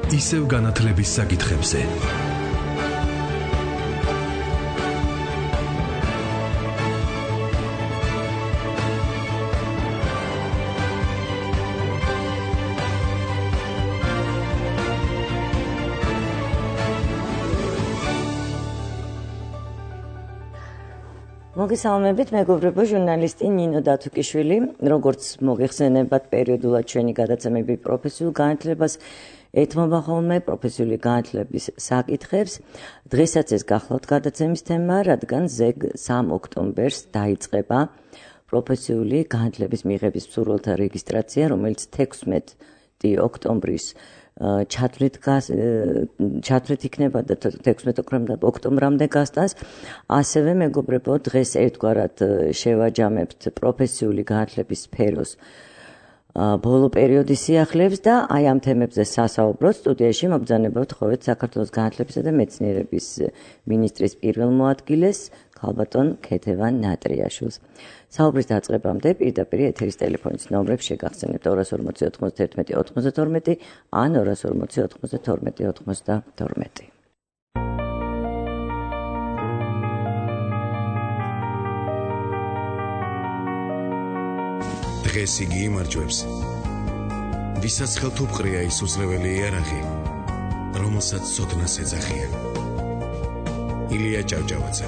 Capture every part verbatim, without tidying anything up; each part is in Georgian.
ისევ განათლების საკითხებზე. მოგესალმებით, მეგობრებო, ჟურნალისტი ნინო დათუკიშვილი, როგორც მოგეხსენებათ, პერიოდულად ჩვენი გადაცემები პროფესიულ განათლებას ეთმობა ხოლმე პროფესიული განათლების საკითხებს. დღესაც ეს გახლავთ გადაცემის თემა, რადგან ზეგ სამ ოქტომბერს დაიწყება პროფესიული განათლების მიღების მსურველთა რეგისტრაცია, რომელიც თექვსმეტი ოქტომბრის ჩათვლით ჩათვლით იქნება და თექვსმეტი ოქტომბრამდე გასტანს. ასევე მეგობრებო, დღეს ერთგვარად შევაჯამებთ პროფესიული განათლების სფეროს ბოლო პერიოდის სიახლეებს და აი ამ თემებზე სასაუბროთ სტუდიაში მობრძანებავთ ხოლმე საქართველოს განათლებისა და მეცნიერების მინისტრის პირველ მოადგილეს ქალბატონ ქეთევან ნატრიაშვილს. საუბრის დაწყებამდე პირდაპირ ეთერის ტელეფონის ნომრებს შეგახსენებთ ორას ორმოცი ოთხმოცდაერთმეტი ოთხმოცდათორმეტი ან ორას ორმოცი ოთხმოცდათორმეტი ოთხმოცდათორმეტი. დღეს იგი იმარჯვებს, ვისაც ხელთუყრია ის უძლეველი იარაღი, რომელსაც ცოდნას ეძახიან. ილია ჭავჭავაძე.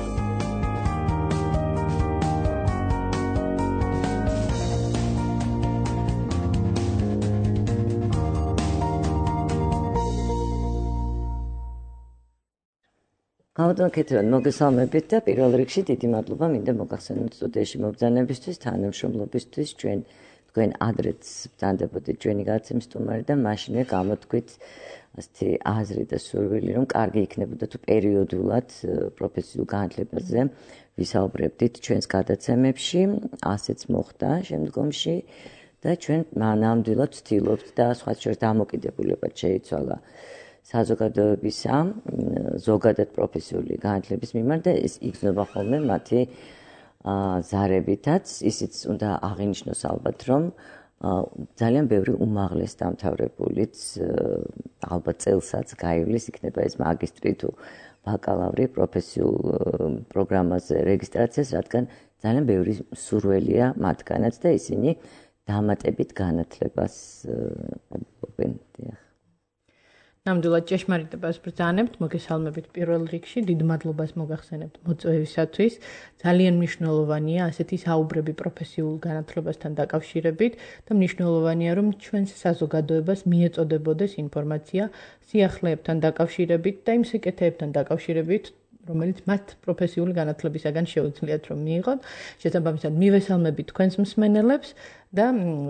ქალბატონ ქეთევან, მოგესალმებით და პირველ რიგში დიდი მადლობა მინდა მოგახსენოთ სტუდიაში მობრძანებისთვის, თანამშრომლობისთვის, ჩვენ თქვენ ადრეც ბრძანდებოდით ჩვენი გადაცემის სტუმარი და მაშინვე გამოთქვით ასეთი აზრი და სურვილი, რომ კარგი იქნებოდა თუ პერიოდულად პროფესიულ განათლებაზე ვისაუბრებდით ჩვენს გადაცემებში, ასეც მოხდა შემდგომში და ჩვენ ნამდვილად ვცდილობთ და სხვა შორის დამოკიდებულებად შეიცვალა საზოგადოებისა ზოგადად პროფესიული განათლების მიმართ და ეს იგრძნობა ხოლმე მათი ზარებითაც. ისიც უნდა აღინიშნოს ალბათ, რომ ძალიან ბევრი უმაღლეს დამთავრებულიც ალბათ წელსაც გაივლის, იქნება ეს მაგისტრი თუ ბაკალავრი პროფესიულ პროგრამაზე რეგისტრაციას, რადგან ძალიან ბევრი სურველია მათგანაც და ისინი დამატებით განათლებას ყოფენ. ნამდვილად ჭეშმარიტებას ბრძანებთ, მოგესალმებით პირველ რიგში, დიდ მადლობას მოგახსენებთ მოწვევისათვის. ძალიან მნიშვნელოვანია ასეთი საუბრები პროფესიულ განათლებასთან დაკავშირებით და მნიშვნელოვანია, რომ ჩვენს საზოგადოებას მიეწოდებოდეს ინფორმაცია სიახლეებთან დაკავშირებით და იმ სიკეთეებთან დაკავშირებით, რომელიც მათ პროფესიული განათლებისაგან შეუძლიათ რომ მიიღოთ. შესაბამისად, მივესალმებით თქვენს მსმენელებს და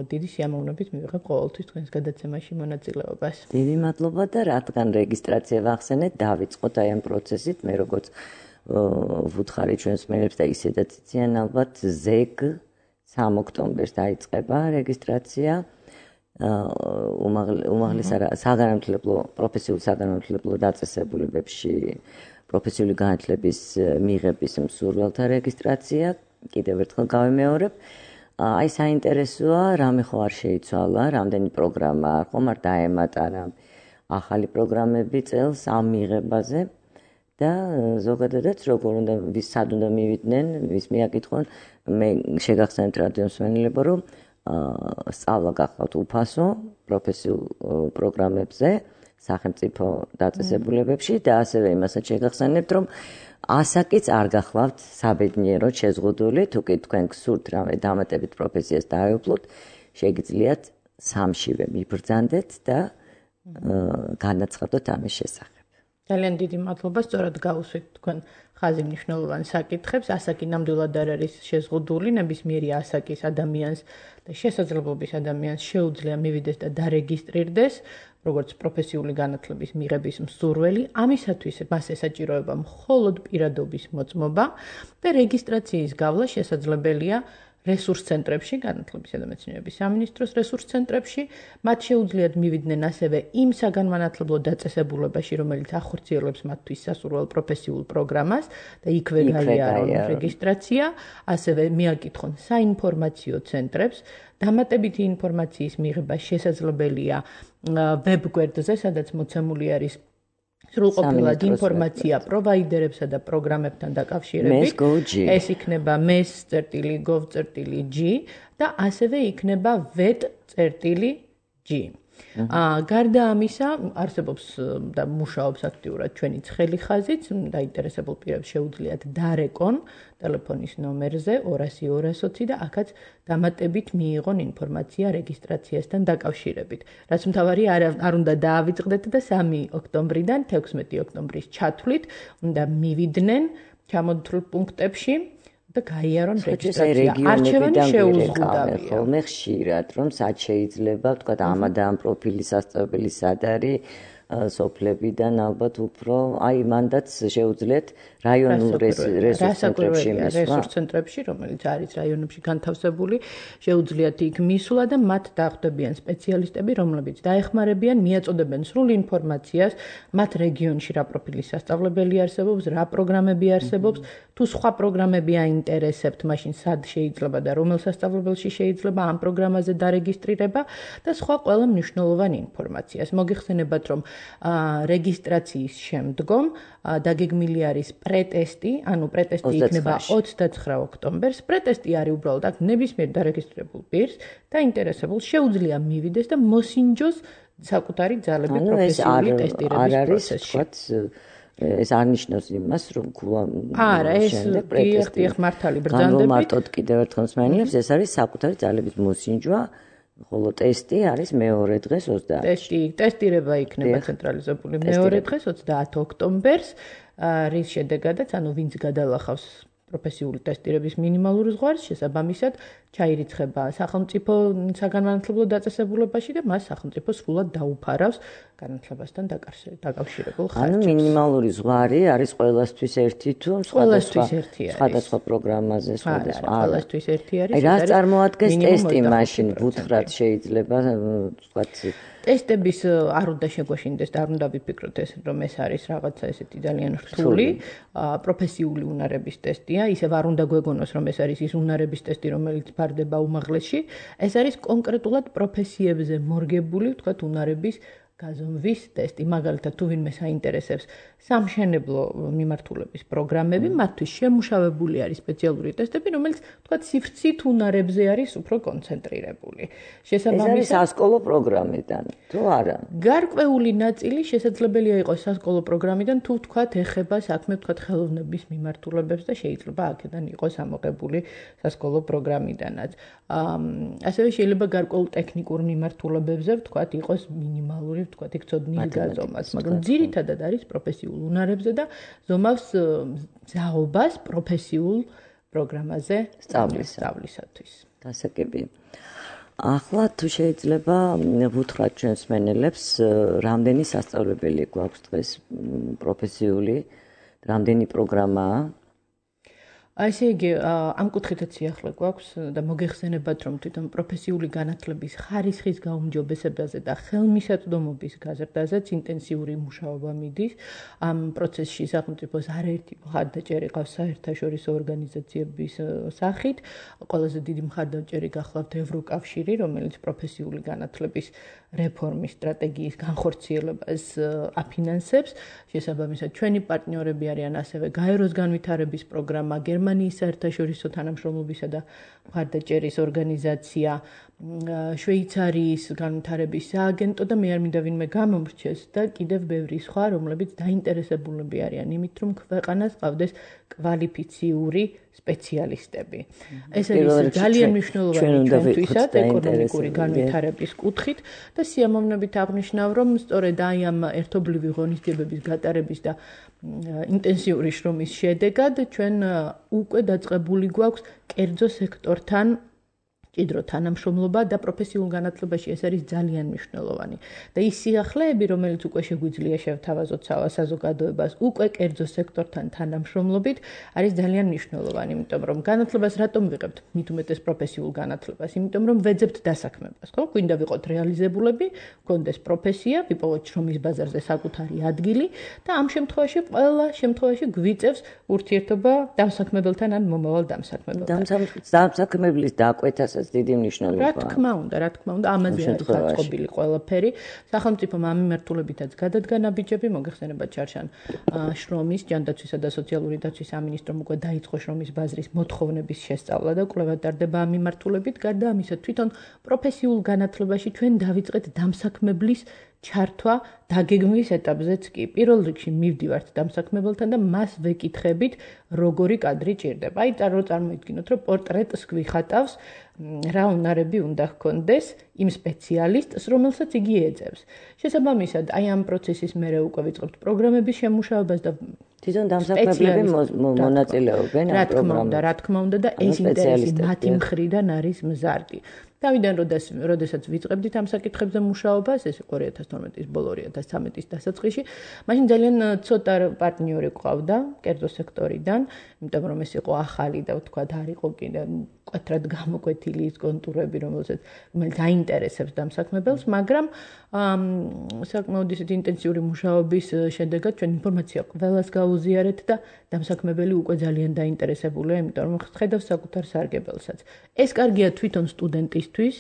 დიდი სიამოვნებით მივიღებ ყოველთვის თქვენს გადაცემაში მონაწილეობას. დიდი მადლობა და რადგან რეგისტრაცია ვახსენეთ, დავიწყოთ აი ამ პროცესით, მე როგორც ვუთხარი ჩვენს მსმენელებს და ისედაც იციან ალბათ, ზეგ სამ ოქტომბერს დაიწყება რეგისტრაცია. უმაღლეს საგანმანათლებლო პროფესიულ საგანმანათლებლო დაწესებულებებში პროფესიული განათლების მიღების მსურველთა რეგისტრაცია. კიდევ ერთხელ გავიმეორებ. აი საინტერესოა, რამე ხო არ შეიცვალა, რამდენი პროგრამა არ ხომ არ დაემატა ახალი პროგრამები წელს ამ მიღებაზე და ზოგადადაც როგორ უნდა ვის სად უნდა მივიდნენ, ვის მიაკითხონ, მე შეგახსენებთ რადიო მსმენელებო, რომ სწავლა გახლავთ უფასო პროფესიულ პროგრამებზე სახელმწიფო დაწესებულებებში და ასევე იმასაც შეგახსენებთ, რომ ასაკიც არ გახლავთ საბედნიეროდ შეზღუდული, თუ კი თქვენ გსურთ რამე დამატებით პროფესიას დაეუფლოთ, შეგიძლიათ სამშივე მიბრძანდეთ და განაცხადოთ ამის შესახებ. ძალიან დიდი მადლობა, სწორად გავუსვით თქვენ ხაზი მნიშვნელოვან საკითხებს. ასაკი ნამდვილად არ არის შეზღუდული, ნებისმიერი ასაკის ადამიანს და შესაძლებლობის ადამიანს შეუძლია მივიდეს და დარეგისტრირდეს როგორც პროფესიული განათლების მიღების მსურველი. ამისათვის მას ესაჭიროება მხოლოდ პირადობის მოწმობა და რეგისტრაციის გავლა შესაძლებელია რესურს ცენტრებში, განათლებისა და მეცნიერების სამინისტროს რესურს ცენტრებში, მათ შეუძლიათ მივიდნენ ასევე იმ საგანმანათლებლო დაწესებულებაში, რომელიც ახორციელებს მათთვის სასურველ პროფესიულ პროგრამას და იქვე გაიარონ რეგისტრაცია, ასევე მიაკითხონ საინფორმაციო ცენტრებს, დამატებითი ინფორმაციის მიღება შესაძლებელია ვებგვერდზე, სადაც მოცემული არის სრულყოფილად ინფორმაცია პროვაიდერებსა და პროგრამებთან დაკავშირებით. ეს იქნება mes წერტილი gov წერტილი g და ასევე იქნება vet წერტილი g. აა გარდა ამისა, არსებობს და მუშაობს აქტიურად ჩვენი ცხელი ხაზიც, დაინტერესებულ პირებს შეუძლიათ დარეკონ ტელეფონის ნომერზე ორასი ორასოცი და აქაც დამატებით მიიღონ ინფორმაცია რეგისტრაციასთან დაკავშირებით. რაც მთავარი არ უნდა დაავიწყდეთ და სამი ოქტომბრიდან თექვსმეტი ოქტომბრის ჩათვლით უნდა მივიდნენ ჩამოთვლილ პუნქტებში და გაიარონ რეგისტრაცია. არჩევანი შეუზღუდავია. ხოლმე ხშირად, რომ სად შეიძლება, თქვა ამ და ამ პროფილის სასწავლებელი სად არის, სოფლებიდან ალბათ უფრო, აი მანდაც შეუძლიათ რაიონულ რესურს ცენტრებში მისვლა. რესურს ცენტრებში, რომელიც არის რაიონებში განთავსებული, შეუძლიათ იქ მისვლა და მათ დახვდებიან სპეციალისტები, რომლებიც დაეხმარებიან, მიაწოდებენ სრულ ინფორმაციას, მათ რეგიონში რა პროფილის სასწავლებელი არსებობს, რა პროგრამები არსებობს, თუ სხვა პროგრამები აინტერესებთ, მაშინ სად შეიძლება და რომელ სასწავლებელში შეიძლება ამ პროგრამაზე დარეგისტრირება და სხვა ყველა მნიშვნელოვანი ინფორმაციას. მოგიხსენებათ, რომ რეგისტრაციის შემდგომ დაგეგმილი არის პრეტესტი, ანუ პრეტესტი იქნება ოცდაცხრა ოქტომბერს. პრეტესტი არის უბრალოდ აქ ნებისმიერ დარეგისტრირებულ პირს დაინტერესებულს შეუძლია მივიდეს და მოსინჯოს საკუთარი ძალები პროფესიული ტესტირების პროცესში. ეს არ ნიშნავს იმას, რომ არა, ეს დიახ მართალი ბრძანდებით. მარტოდ კიდევ ერთხელ მსმენელებს, ეს არის საკუთარი ძალების მოსინჯვა. ხოლო ტესტი არის მეორე დღეს ოცდაათში. ტესტი, ტესტირება იქნება ცენტრალიზებული მეორე დღეს ოცდაათი ოქტომბერს, რის შედეგადაც, ანუ ვინც გადალახავს პროფესიული ტესტირების მინიმალურ ზღვარს, შესაბამისად ჩაირიცხება სახელმწიფო საგანმანათლებლო დაწესებულებაში და მას სახელმწიფო სრულად დაუფარავს განათლებასთან დაკავშირებულ ხარჯებს. ანუ მინიმალური ზღვარი არის ყველასთვის ერთი თუ სხვადასხვა ერთი არის. სხვადასხვა პროგრამაზე, სხვადასხვა. ყველასთვის ერთი არის. აი რაც წარმოადგენს ტესტი მაშინ ვუთხრათ შეიძლება ვთქვათ ტესტების არ უნდა შეგვაშინდეს და არ უნდა ვიფიქროთ ეს რომ ეს არის რაღაცა ესეთი ძალიან რთული პროფესიული უნარების ტესტია, ისევ არ უნდა გვეგონოს რომ ეს არის ის უნარების ტესტი რომელიც ფარდება უმაღლესში, ეს არის კონკრეტულად პროფესიებზე მორგებული, ვთქვათ, უნარების გაზომვის ტესტი. მაგალითად, თუ ვინმე საინტერესებს სამშენებლო მიმართულების პროგრამები, მათთვის შემუშავებული არის სპეციალური ტესტები, რომელიც, ვთქვათ, სიფრცით უნარებზე არის უფრო კონცენტრირებული. შესაბამისად, ეს არის სასკოლო პროგრამიდან, თუ არა? გარკვეული ნაწილი შესაძლებელია იყოს სასკოლო პროგრამიდან, თუ ვთქვათ, ეხება საქმე, ვთქვათ, ხელოვნების მიმართულებებს და შეიძლება აქედან იყოს ამოღებული სასკოლო პროგრამიდანაც. ასევე შეიძლება გარკვეულ ტექნიკურ მიმართულებებზე, ვთქვათ, იყოს მინიმალური ვთქვათ, იქ ცოდნის გაზომას, მაგრამ ძირითადად არის პროფესიულ უნარებზე და ზომავს ზაობას პროფესიულ პროგრამაზე სწავლისათვის. დასაგები. ახლა თუ შეიძლება ვუთხრათ ჩვენს მსმენელებს, რამდენი სასწავლებელი გვაქვს დღეს პროფესიული, რამდენი პროგრამაა? ასე იგი, ამ კუთხითაც სიახლე გვაქვს და მოგეხსენებათ, რომ თვითონ პროფესიული განათლების ხარისხის გაუმჯობესებაზე და ხელმისაწვდომობის გაზრდაზეც ინტენსიური მუშაობა მიდის. ამ პროცესში სახელმწიფოს არაერთი მხარდაჭერი ყავს საერთაშორისო ორგანიზაციების სახით. ყველაზე დიდი მხარდაჭერი გახლავთ ევროკავშირი, რომელიც პროფესიული განათლების რეფორმის სტრატეგიის განხორციელებას აფინანსებს. შესაბამისად, ჩვენი პარტნიორები არიან ასევე გაეროს განვითარების პროგრამა, გერმანიის საერთაშორისო თანამშრომლობისა და მხარდაჭერის ორგანიზაცია, შვეიცარიის განვითარების სააგენტო და მე არ მინდა ვინმე გამომრჩეს და კიდევ ბევრი სხვა, რომლებიც დაინტერესებულები არიან იმით, რომ ქვეყანას ყავდეს კვალიფიციური სპეციალისტები. ეს არის ძალიან მნიშვნელოვანი ჩვენთვისაც ეკონომიკური განვითარების კუთხით და სიამოვნებით აღნიშნავ, რომ სწორედ აი ამ ერთობლივი ღონისძიებების გატარების და ინტენსიური შრომის შედეგად ჩვენ უკვე დაწყებული გვაქვს კერძო სექტორთან ჭიდრო თანამშრომლობა და პროფესიულ განათლებაში ეს არის ძალიან მნიშვნელოვანი. და ის სიახლეები, რომელიც უკვე შეგვიძლია შევთავაზოთ საზოგადოებას, უკვე კერძო სექტორთან თანამშრომლობით, არის ძალიან მნიშვნელოვანი, იმიტომ რომ განათლებას რატომ ვიღებთ? მით უმეტეს პროფესიულ განათლებას, იმიტომ რომ ვეძებთ დასაქმებას, ხო? გვინდა ვიყოთ რეალიზებულები, გქონდეს პროფესია, ვიპოვოთ შრომის ბაზარზე საკუთარი ადგილი და ამ შემთხვევაში ყველა შემთხვევაში გვიწევს ურთიერთობა დამსაქმებელთან ან მომავალ დამსაქმებელთან. დამსაქმებლის დაკვეთასაც დიდი მნიშვნელობა აქვს. რა თქმა უნდა, რა თქმა უნდა, ამაზე არის გაწყობილი ყველაფერი. სახელმწიფომ ამ მიმართულებითაც გადადგა ნაბიჯები, მოგეხსენება ჩარშან შრომის, ჯანდაცვისა და სოციალური დაცვის სამინისტრომ უკვე დაიწყო შრომის ბაზრის მოთხოვნების შესწავლა და კვლევა ტარდება ამ მიმართულებით. გარდა ამისა, თვითონ პროფესიულ განათლებაში ჩვენ დავიწყეთ დამსაქმებლის ჩართვა დაგეგმვის ეტაპზეც კი. პირველ რიგში მივდივართ დამსაქმებელთან და მას ვეკითხებით, როგორი კადრი ჭირდება. აი, წარმოიდგინოთ, რომ პორტრეტს გვიხატავს, რა უნარები უნდა ჰქონდეს იმ სპეციალისტს, რომელსაც იგი ეძებს. შესაბამისად, აი ამ პროცესის მერე უკვე ვიწყებთ პროგრამების შემუშავებას და თვითონ დამსაქმებლები მონაწილეობენ ამ პროგრამებში. რა თქმა უნდა და ეს ინტერესი მათი მხრიდან არის მზარდი. თავიდან როდესაც ვიწყებდით ამ საკითხებზე მუშაობას, ეს იყო ორი ათას თორმეტის ბოლო ორი ათას ცხრამეტის დასაწყისში, მაშინ ძალიან ცოტა პარტნიორი ყავდა კერძო სექტორიდან, იმიტომ რომ ეს იყო ახალი და ვთქვათ, არ იყო კიდე მკვეთრად გამოკვეთილი ის კონტურები, რომელსაც რომელიც აინტერესებს დამსაქმებელს, მაგრამ საკმაოდ ისეთი ინტენსიური მუშაობის შედეგად ჩვენ ინფორმაცია ყველას გაუზიარეთ და დამსაქმებელი უკვე ძალიან დაინტერესებულია, იმიტომ რომ ხედავს საკუთარ სარგებელსაც. ეს კარგია თვითონ სტუდენტისთვის,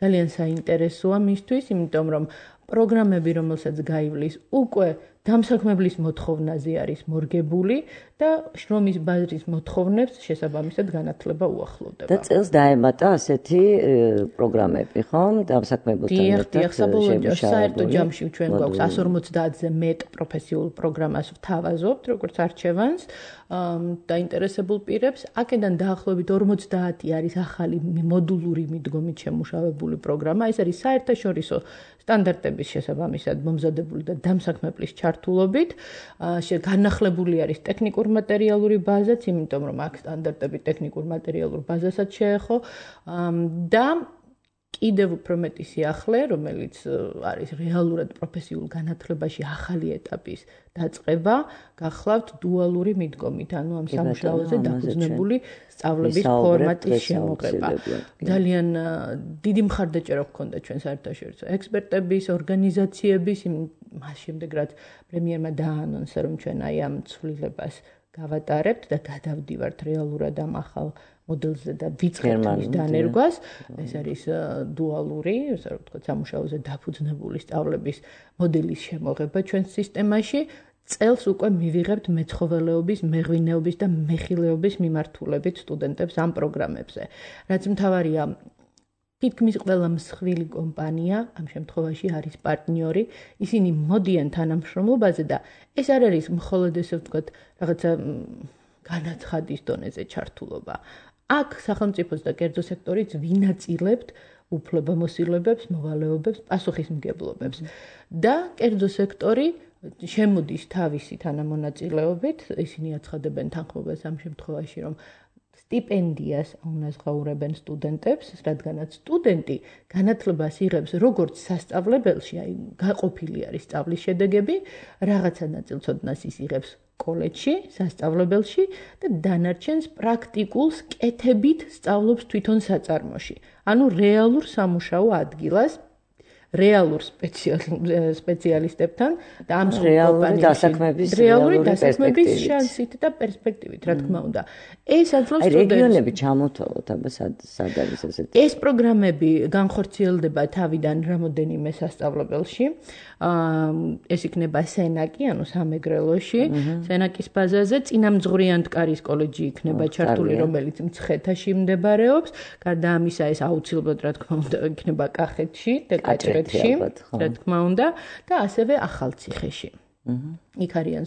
ძალიან საინტერესოა მისთვის, იმიტომ რომ პროგრამები, რომელსაც გაივლის, უკვე დამსაქმებლის მოთხოვნაზე არის მორგებული და შრომის ბაზრის მოთხოვნებს შესაბამისად განათლება უახლოვდება. და წელს დაემატა ასეთი პროგრამები, ხო? დამსაქმებელთან ერთად. დიახ, საბოლოო საერთო ჯამში ჩვენ გვაქვს εκατს ორმოცდაათზე მეტ პროფესიულ პროგრამას ვთავაზობთ, როგორც არჩევანს დაინტერესებულ პირებს. აქედან დაახლოებით ორმოცდაათი არის ახალი მოდულური მიდგომით შემუშავებული პროგრამა. ეს არის საერთაშორისო სტანდარტების შესაბამისად მომზადებული და დამსაქმებლის ჩართულობით. განახლებული არის ტექნიკურ მატერიალური ბაზაც, იმიტომ რომ აქ სტანდარტები ტექნიკურ მატერიალურ ბაზასაც შეეხო და კიდევ უფრო მეტი სიახლე, რომელიც არის რეალურად პროფესიულ განათლებაში ახალი ეტაპის დაწყება, გახლავთ დუალური მიდგომით, ანუ ამ სამუშაოზე დაფუძნებული სწავლების ფორმატის შემოღება. ძალიან დიდი მხარდაჭერა ჰქონდა ჩვენ საერთაშორისო ექსპერტების, ორგანიზაციების, მას შემდეგ რაც პრემიერმა დაანონსა, რომ ჩვენ აი ამ ცვლილებას გავატარებთ და გადავდივართ რეალურად ამ ახალ მოდელზე და ვიწყებთ მის დანერგვას. ეს არის დუალური, ასე რომ ვთქვათ, სამუშაოზე დაფუძნებული სწავლების მოდელის შემოღება ჩვენს სისტემაში. წელს უკვე მივიღებთ მეცხოველეობის, მეღვინეობის და მეხილეობის მიმართულებით სტუდენტებს ამ პროგრამებზე. რაც მთავარია, თითქმის ყველა მსხვილი კომპანია ამ შემთხვევაში არის პარტნიორი, ისინი მოდიან თანამშრომლობაზე და ეს არ არის მხოლოდ ესე ვთქვათ, რაღაცა განაცხადის დონეზე ჩართულობა. აქ სახელმწიფოს და კერძო სექტორიც ვინაწილებთ უფლებამოსილებებს, მოვალეობებს, პასუხისმგებლობებს. და კერძო სექტორი შემოდის თავისი თანამონაწილეობით, ისინი აცხადებენ თანხმობას ამ შემთხვევაში, რომ სტიპენდიას უნაზღაურებენ სტუდენტებს, რადგანაც სტუდენტი განათლებას იღებს როგორც სასწავლებელში, აი გაყოფილი არის სწავლის შედეგები, რაღაცა ნაწილცოდნას ის იღებს კოლეჯში, სასწავლებელში და დანარჩენს პრაქტიკულს კეთებით სწავლობს თვითონ საწარმოში. ანუ რეალურ სამუშაო ადგილას რეალურ სპეციალისტებთან და ამ რეალური დასაქმების რეალური დასაქმების შანსით და პერსპექტივით, რა თქმა უნდა. ეს აძლევს სტუდენტებს. აი რეგიონები ჩამოთვალოთ, აბა სად არის ესეთი. ეს პროგრამები განხორციელდება თავიდან რამოდენიმე სასწავლებელში. ეს იქნება სენაკი, ანუ სამეგრელოში, სენაკის ბაზაზე, წინამძღვრი ანტკარის კოლეჯი იქნება ჩართული, რომელიც მცხეთაში მდებარეობს. გარდა ამისა, ეს აუცილებლად, რა თქმა უნდა, იქნება კახეთში, დეკაჭრეთში, რა თქმა უნდა, და ასევე ახალციხეში. იქ არიან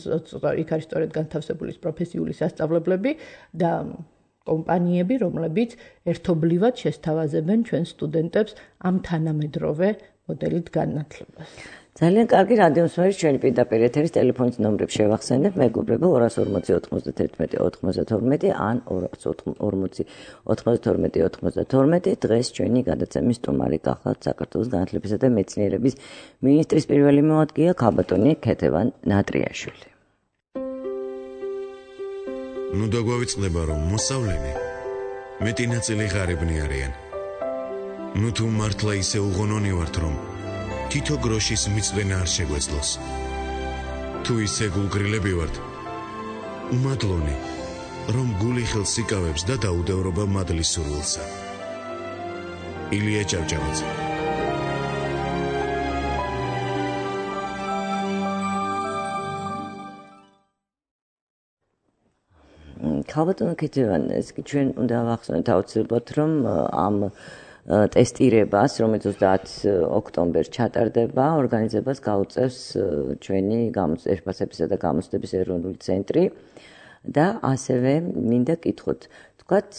იქ არის სწორედ განთავსებული პროფესიული სასწავლებლები და კომპანიები, რომლებიც ერთობლივად შესთავაზებენ ჩვენ სტუდენტებს ამ თანამედროვე მოდელით განათლებას. ძალიან კარგი რადიომსმერის ჩვენი პირდაპირ ეთერის ტელეფონის ნომრებს შევახსენებ, მეგობრებო ორას ორმოცი ოთხმოცდათერთმეტი ოთხმოცდათორმეტი ან ორას ორმოცი ოთხმოცდათორმეტი ოთხმოცდათორმეტი დღეს ჩვენი გადაცემის სტუმარი გახლავთ საქართველოს განათლებისა და მეცნიერების მინისტრის პირველი მოადგილე ქალბატონი ქეთევან ნატრიაშვილი. ნუ დაგვავიწყდება რომ მოსავლენი მეტი ნაწილი ღარიბნი არიან. ნუ თუ მართლა ისე უღონონი ვართ რომ თითო გროშის მიწვენა არ შეგვეძლოს. თუ ისე გულგრილები ვართ, უმადლონი, რომ გული ხელს იკავებს და დაუდევრობა მადლის სურვილსა. ილია ჭავჭავაძე. ქალბატონო ქეთევან, ეს კი ჩვენ უნდა ვახსენოთ აუცილებლად, რომ ამ ტესტირებას, რომელიც ოცდაათი ოქტომბერს ჩატარდება, ორგანიზებას გაუწევს ჩვენი შეფასებისა და გამოცდების ეროვნული ცენტრი და ასევე მინდა კითხოთ, თქვათ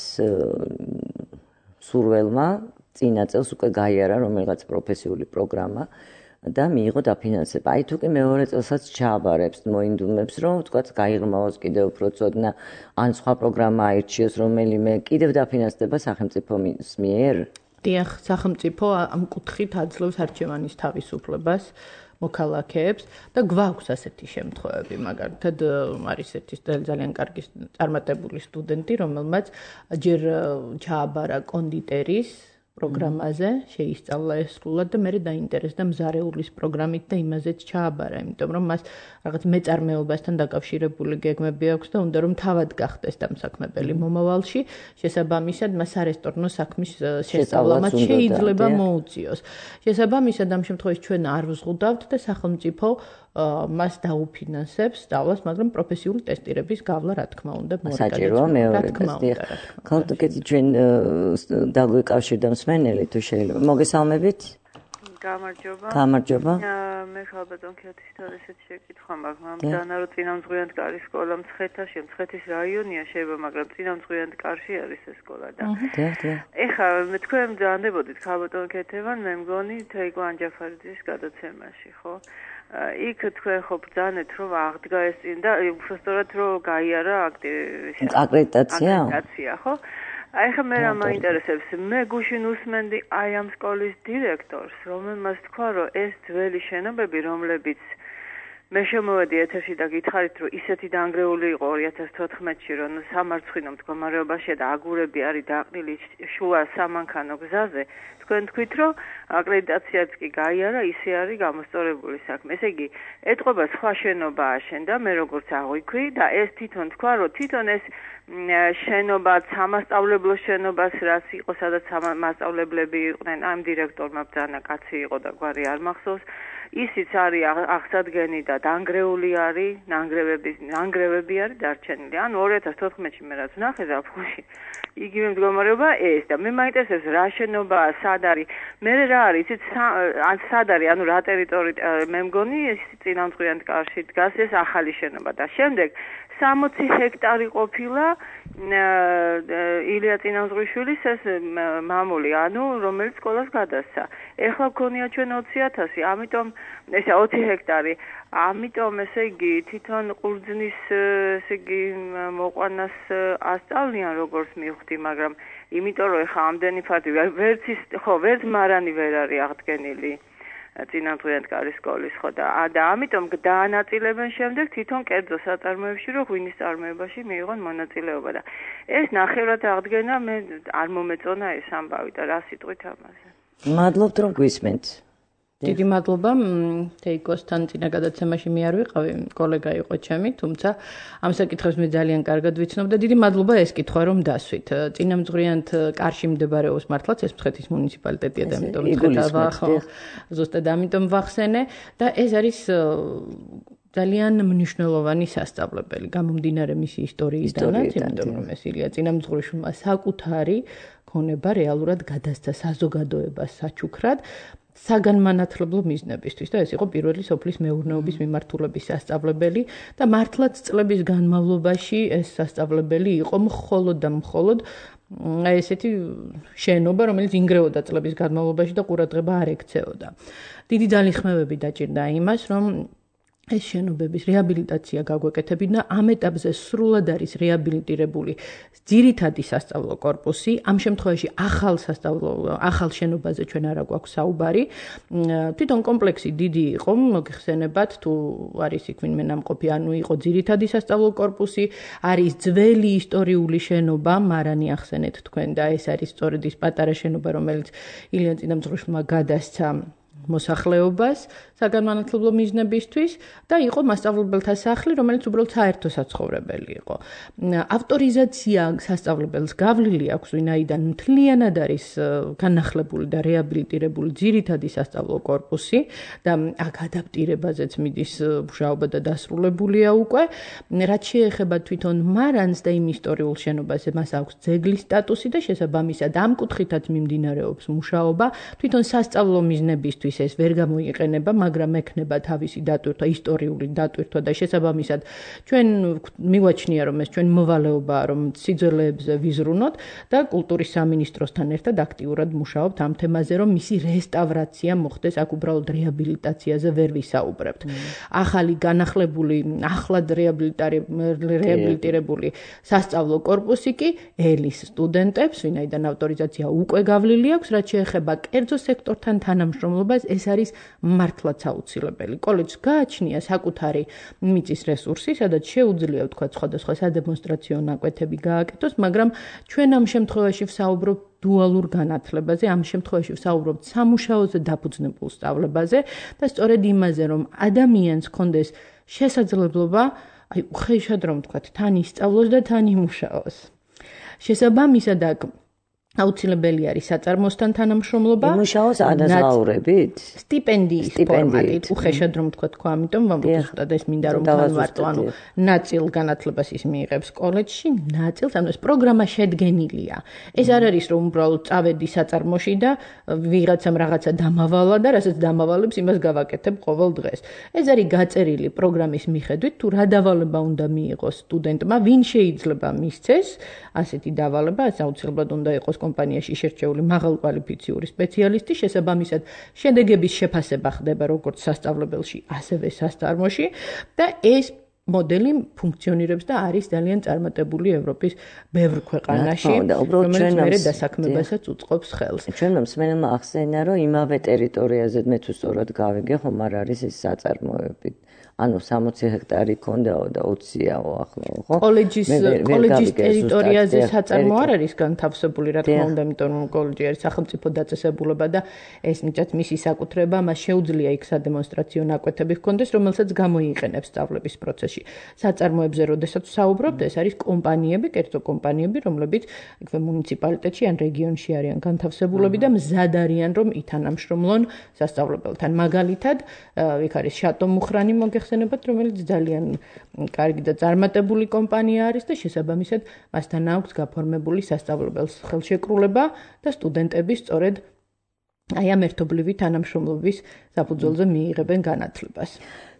სურველმა წინა წელს უკვე გაიარა რომელიღაც პროფესიული პროგრამა და მიიღო დაფინანსება. აი თუ კი მეორე წელსაც ჩააბარებს, მოინდომებს, რომ თქვათ გაიღრმავოს კიდევ უფრო ცოდნა, ან სხვა პროგრამა აირჩიოს რომელიმე, კიდევ დაფინანსდება სახელმწიფოს მიერ? დიახ, სახელმწიფო ამ კუთხით აძლევს არჩევანის თავისუფლებას მოქალაქეებს და გვაქვს ასეთი შემთხვევები, მაგალითად არის ერთი ძალიან კარგი წარმატებული სტუდენტი, რომელმაც ჯერ ჩააბარა კონდიტერის პროგრამაზე, შეისწავლა ეს სრულად და მერე დაინტერესდა მზარეულის პროგრამით და იმაზეც ჩააბარა, იმიტომ რომ მას რაღაც მეწარმეობასთან დაკავშირებული გეგმები აქვს და უნდა რომ თავად გახდეს დამსაქმებელი მომავალში, შესაბამისად მას არესტორნო საქმის შესწავლამაც შეიძლება მოუწიოს. შესაბამისად ამ შემთხვევაში ჩვენ არ ვზღუდავთ და სახელმწიფო მას დაუფინანსებს სწავლას, მაგრამ პროფესიული ტესტირების გავლა რა თქმა უნდა საჭიროა მეორე ტესტი. ქალბატონი ჩვენ დაგვიკავშირდა მსმენელი თუ შეიძლება. მოგესალმებით? გამარჯობა. გამარჯობა. მე ქალბატონ ქეთისთან ესეთი შეკითხვა მაქვს. მამძანა რომ წინამძღვიანთკარი სკოლა მცხეთაში, მცხეთის რაიონია შეიძლება, მაგრამ წინამძღვიანთკარში არის ეს სკოლა და. ეხლა მე თქვენ მძანდებოდით ქალბატონ ქეთევან, მე მგონი თეიკო ანჯაფარიძის გადაცემაში, ხო? იქ თქვენ ხო ბრძანეთ რომ აღდგა ეს წინ და უბრალოდ რომ გაიარა აკრედიტაცია? აკრედიტაცია, ხო? აი ხა მე რა მაინტერესებს, მე გუშინ უსმენდი აი ამ სკოლის დირექტორს, რომელმაც თქვა რომ ეს ძველი შენობები, რომლებიც მე შემოვედი ეთერში და გითხარით რომ ისეთი დანგრეული იყო ორი ათას თოთხმეტში, რომ სამარცხვინო მდგომარეობაშია და აგურები არის დაყრილი შუა სამანქანო გზაზე. თქვენ თქვით რომ აკრედიტაციაც კი გაიარა, ისე არის გამოსწორებული საქმე. ესე იგი, ეტყობა სხვა შენობა აშენდა, მე როგორც აღვიქვი და ეს თვითონ თქვა რომ თვითონ ეს შენობა სამასწავლებლო შენობას რაც იყო, სადაც მასწავლებლები იყვნენ, ამ დირექტორმა ბრძანა კაცი იყო და გვარი არ მახსოვს. ისიც არის აღსადგენი და დანგრეული არის, ნანგრევები, ნანგრევები არის დარჩენილი. ანუ ორი ათას თოთხმეტში მე რაც ვნახე ზაფხულში, იგივე მდგომარეობა ეს და მე მაინტერესებს რა შენობაა, სად არის. მე რა არის, იცით, სად არის, ანუ რა ტერიტორია, მე მგონი ეს წინამძღვიანთკარში დგას ეს ახალი შენობა და შემდეგ სამოცი ჰექტარი ყოფილა ილია წინამძღვრიშვილის ეს მამული, ანუ რომელიც სკოლას გადასცა. ეხლა გქონია ჩვენ ოცი ათასი, ამიტომ ესე ოცი ჰექტარი. ამიტომ ესე იგი თვითონ ყურძნის ესე იგი მოყვანას ასწავლიან როგორც მივხვდი, მაგრამ იმიტომ რომ ეხლა ამდენი ფარდი ვერც ის ხო ვერც მარანი ვერ არის აღდგენილი წინამძღვიანთკარის სკოლის, ხო და და ამიტომ დაანაწილებენ შემდეგ თვითონ კერძო საწარმოებში, რომ ღვინის წარმოებაში მიიღონ მონაწილეობა და ეს ნახევრად აღდგენა მე არ მომეწონა ეს ამბავი და რა სიტყვით ამაზე. მადლობთ რომ გვისმენთ. დიდი მადლობა. თეიკოსთან წინა გადაცემაში მე არ ვიყავი, კოლეგა იყო ჩემი, თუმცა ამ საკითხებს მე ძალიან კარგად ვიცნობ და დიდი მადლობა ეს კითხვა რომ დასვით. წინამძღვრიანთ კარში მდებარეობს მართლაც ეს მცხეთის მუნიციპალიტეტია და ამიტომ მცხეთა ხო ზუსტად ამიტომ ვახსენე და ეს არის ძალიან მნიშვნელოვანი სასწავლებელი გამომდინარე მისი ისტორიიდანაც, იმიტომ რომ ეს ილია წინამძღვრიშვილმა საკუთარი ქონება რეალურად გადასცა საზოგადოებას საჩუქრად საგანმანათლებლო მიზნებისთვის და ეს იყო პირველი სოფლის მეურნეობის მიმართულების სასწავლებელი და მართლაც წლების განმავლობაში ეს სასწავლებელი იყო მხოლოდ და მხოლოდ აი ესეთი შენობა, რომელიც ინგრეოდა წლების განმავლობაში და ყურადღება არ ექცეოდა. დიდი ძალისხმევები დაჭირდა იმას, რომ ეს შენობების რეაბილიტაცია გაგვეკეთებინა, ამ ეტაპზე სრულად არის რეაბილიტირებული ძირითადი სასწავლო კორპუსი, ამ შემთხვევაში ახალ სასწავლო ახალ შენობაზე ჩვენ არა გვაქვს საუბარი. თვითონ კომპლექსი დიდი იყო, მოგეხსენებათ, თუ არის იქ ვინმე ნამყოფი, ანუ იყო ძირითადი სასწავლო კორპუსი, არის ძველი ისტორიული შენობა, მარანი ახსენეთ თქვენ და ეს არის სწორედ ის პატარა შენობა, რომელიც ილიან წინამძღვრმა გადასცა მოსახლეობას საგანმანათლებლო მიზნებისთვის და იყო მასწავლებელთა სახლი, რომელიც უბრალოდ საერთო საცხოვრებელი იყო. ავტორიზაცია სასწავლებელს გავლილი აქვს, ვინაიდან მთლიანად არის განახლებული და რეაბილიტირებული ძირითადი სასწავლო კორპუსი და აქ ადაპტირებაზეც მიდის მუშაობა და დასრულებულია უკვე. რაც შეეხება თვითონ მარანს და იმ ისტორიულ შენობაზე, მას აქვს ძეგლის სტატუსი და შესაბამისად ამ კუთხითაც მიმდინარეობს მუშაობა. თვითონ სასწავლო მიზნებისთვის ეს ვერ გამოიყენება, მაგრამ ექნება თავისი დატვირთვა, ისტორიული დატვირთვა და შესაბამისად ჩვენ მივაჩნია, რომ ეს ჩვენ მოვალეობაა, რომ სიძველეებზე ვიზრუნოთ და კულტურის სამინისტროსთან ერთად აქტიურად მუშაობთ ამ თემაზე, რომ მისი რესტავრაცია მოხდეს, აქ უბრალოდ რეაბილიტაციაზე ვერ ვისაუბრებთ. ახალი განახლებული, ახლად რეაბილიტირებული სასწავლო კორპუსი კი ელის სტუდენტებს, ვინაიდან ავტორიზაცია უკვე გავლილი აქვს, რაც შეეხება კერძო სექტორთან თანამშრომლობას, ეს არის მართლაც აუცილებელი. კოლეჯს გააჩნია საკუთარი მიწის რესურსი, სადაც შეუძლია ვთქვა სხვადასხვა სადემონსტრაციო ნაკვეთები გააკეთოს, მაგრამ ჩვენ ამ შემთხვევაში ვსაუბრობთ დუალურ განათლებაზე, ამ შემთხვევაში ვსაუბრობთ სამუშაოზე დაფუძნებულ სწავლებაზე და სწორედ იმაზე, რომ ადამიანს ჰქონდეს შესაძლებლობა, აი უხეშად რომ ვთქვათ, თან ისწავლოს და თან იმუშაოს. შესაბამისად აქ აუცილებელი არის საწარმოსთან თანამშრომლობა. იმუშაოს ანაზღაურებით? სტიპენდიის ფორმატით, უხეშად რომ ვთქვა თქვა, ამიტომ ვამბობთ და ეს მინდა რომ განვარტო, ანუ ნაწილ განათლებას ის მიიღებს კოლეჯში, ნაწილს, ანუ ეს პროგრამა შედგენილია. ეს არ არის რომ უბრალოდ წავედი საწარმოში და ვიღაცამ რაღაცა დამავალა და რასაც დამავალებს, იმას გავაკეთებ ყოველ დღეს. ეს არის გაწერილი პროგრამის მიხედვით, თუ რა დავალება უნდა მიიღოს სტუდენტმა, ვინ შეიძლება მისცეს ასეთი დავალება, ეს აუცილებლად უნდა იყოს კომპანიაში შერჩეული მაღალკვალიფიციური სპეციალისტი, შესაბამისად შედეგების შეფასება ხდება როგორც სასწავლებელში, ასევე სასწარმოში და ეს მოდელი ფუნქციონირებს და არის ძალიან წარმატებული ევროპის ბევრ ქვეყანაში, რომელიც მერე დასაქმებასაც უწყობს ხელს. ჩვენ მსმენელმა ახსენა, რომ იმავე ტერიტორიაზე მე თუ სწორად გავიგე, ხომ არ არის ეს საწარმოები. ანუ სამოცი ჰექტარი ქონდაო და ოციაო ახლა, ხო? კოლეჯის კოლეჯის ტერიტორიაზე საწარმო არ არის განთავსებული, რა თქმა უნდა, იმიტომ რომ კოლეჯი არის სახელმწიფო დაწესებულება და ეს მიწაც მისი საკუთრება, მას შეუძლია იქ სადემონსტრაციო ნაკვეთები ჰქონდეს, რომელსაც გამოიყენებს სწავლების პროცესში. საწარმოებზე როდესაც ვსაუბრობთ, ეს არის კომპანიები, კერძო კომპანიები, რომლებიც იქვე მუნიციპალიტეტში ან რეგიონში არიან განთავსებულები და მზად არიან, რომ ითანამშრომლონ სასწავლებელთან. მაგალითად, იქ არის შატო მუხრანი მოგეხსენებათ, რომელიც ძალიან კარგი და წარმატებული კომპანია არის და შესაბამისად მასთან აქვს გაფორმებული სასწავლებელს ხელშეკრულება და სტუდენტები სწორედ აი ამ ერთობლივი თანამშრომლობის საფუძველზე მიიღებენ განათლებას.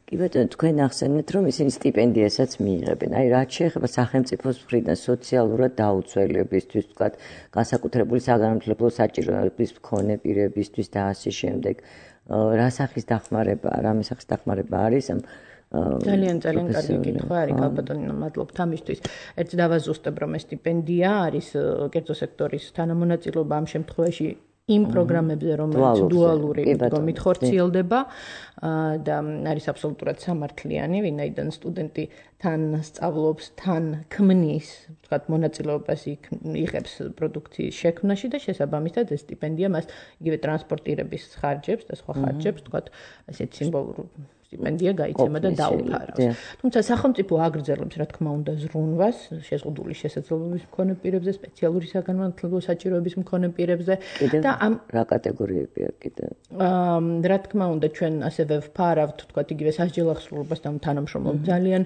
კი ბატონო, თქვენ ახსენეთ, რომ ისინი სტიპენდიასაც მიიღებენ. აი რაც შეეხება სახელმწიფოს მხრიდან სოციალურად დაუცველებისთვის, ვთქვათ, განსაკუთრებული საგანმანათლებლო საჭიროების მქონე პირებისთვის და ასე შემდეგ. რა სახის დახმარება, რამე სახის დახმარება არის ამ ძალიან ძალიან კარგი კითხვა არის, გალბატონო, მადლობთ ამისთვის. ერთ დავაზუსტებ, რომ ეს სტიპენდია არის კერძო სექტორის თანამონაწილეობა ამ შემთხვევაში იმ პროგრამებზე, რომელიც დუალური მიდგომით ხორციელდება და არის აბსოლუტურად სამართლიანი, ვინაიდან სტუდენტი თან სწავლობს, თან ქმნის, ვთქვათ, მონაწილეობას იღებს პროდუქციის შექმნაში და შესაბამისად ეს სტიპენდია მას იგივე ტრანსპორტირების ხარჯებს და სხვა ხარჯებს, ვთქვათ, ასეთ სიმბოლურ სტიპენდია გაიცემა და დაუფარავს. თუმცა სახელმწიფო აგრძელებს, რა თქმა უნდა, ზრუნვას შეზღუდული შესაძლებლობის მქონე პირებზე, სპეციალური საგანმანათლებლო საჭიროების მქონე პირებზე და ამ რა კატეგორიებია კიდე? აა რა თქმა უნდა, ჩვენ ასევე ვფარავთ, თქვათ, იგივე სასჯელ ახსრულებასთან თანამშრომლობთ ძალიან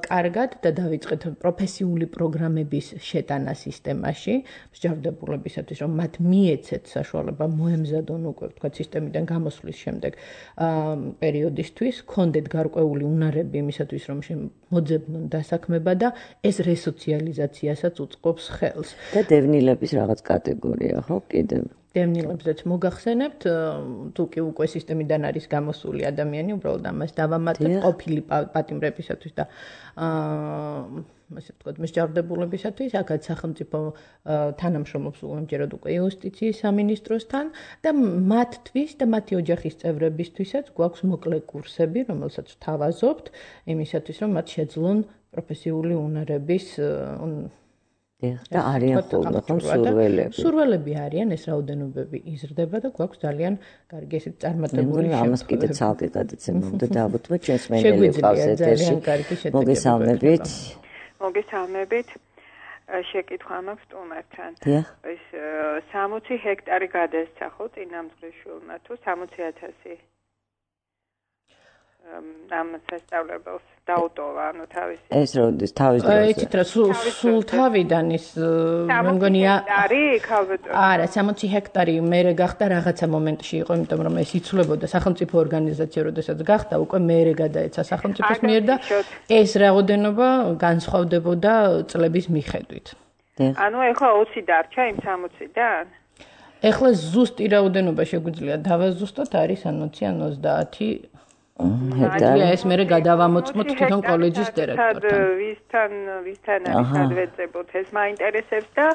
კარგად და დავიწყეთ პროფესიული პროგრამების შეტანა სისტემაში, მსჯავრდებულებისათვის, რომ მათ მიეცეთ საშუალება მოემზადონ უკვე, თქვათ, სისტემიდან გამოსვლის შემდეგ აა პერიოდისთვის მათთვის კონდეთ გარკვეული უნარები იმისათვის, რომ მოძებნონ დასაქმება და ეს რესოციალიზაციასაც უწყობს ხელს. და დევნილების რაღაც კატეგორია, ხო, კიდევ. დევნილებზეც მოგახსენებთ, თუ კი უკვე სისტემიდან არის გამოსული ადამიანი, უბრალოდ ამას დავამატებ ყოფილი პატიმრებისათვის და აა ასე ვთქვათ, მსჯავრდებულებისათვის, აქაც სახელმწიფო თანამშრომლობს უამჯერად უკვე იუსტიციის სამინისტროსთან და მათთვის და მათი ოჯახის წევრებისთვისაც გვაქვს მოკლე კურსები, რომელსაც ვთავაზობთ, იმისათვის, რომ მათ შეძლონ პროფესიული უნარების და არიან ხოლმე ხომ სურველები. სურველები არიან, ეს რაოდენობები იზრდება და გვაქვს ძალიან კარგი ესეთ წარმატებული შემთხვევა. ამას კიდე ცალკე გადაცემა უნდა დააბუთვა ჩვენს მენელი ყავს ეთერში. მოგესალმებით. მოგესალმებით. შეკითხვა მაქვს სტუმართან. დიახ. ეს სამოცი ჰექტარი გადასცა ხო წინამძღვრიშვილმა თუ სამოცი ათასი? ამ სასწავლებელს დაუტოვა, ანუ თავისი. ეს როდის თავის დროზე. იცით რა, სულ თავიდან ის მე მგონია არის ალბათ. არა, სამოცი ჰექტარი მერე გახდა რაღაცა მომენტში იყო, იმიტომ რომ ეს იცვლებოდა სახელმწიფო ორგანიზაცია, როდესაც გახდა, უკვე მერე გადაეცა სახელმწიფოს მიერ და ეს რაოდენობა განსხვავდებოდა წლების მიხედვით. ანუ ეხლა ოცი დარჩა იმ სამოციდან? ეხლა ზუსტი რაოდენობა შეგვიძლია დავაზუსტოთ, არის ან ოცი ან ოცდაათი ჰექტარი. ეს მერე გადავამოწმოთ თვითონ კოლეჯის დირექტორთან. ვისთან ვისთან არის გადავეწებოთ, ეს მაინტერესებს და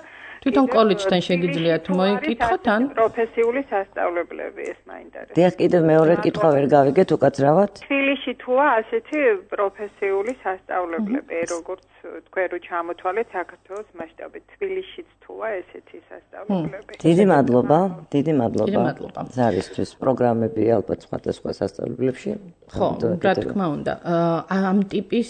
თვითონ კოლეჯთან შეგიძლიათ მოიკითხოთ ან პროფესიული სასწავლებლები ეს მაინტერესებს. დიახ, კიდევ მეორე კითხვა ვერ გავიგეთ უკაცრავად. თბილისში თუა ასეთი პროფესიული სასწავლებლები, როგორც თქვენ რო ჩამოთვალეთ საქართველოს მასშტაბით, თბილისშიც თუა ესეთი სასწავლებლები. დიდი მადლობა, დიდი მადლობა. დიდი მადლობა. ზარისთვის პროგრამები ალბათ სხვადასხვა სასწავლებლებში. ხო, რა თქმა უნდა. ამ ტიპის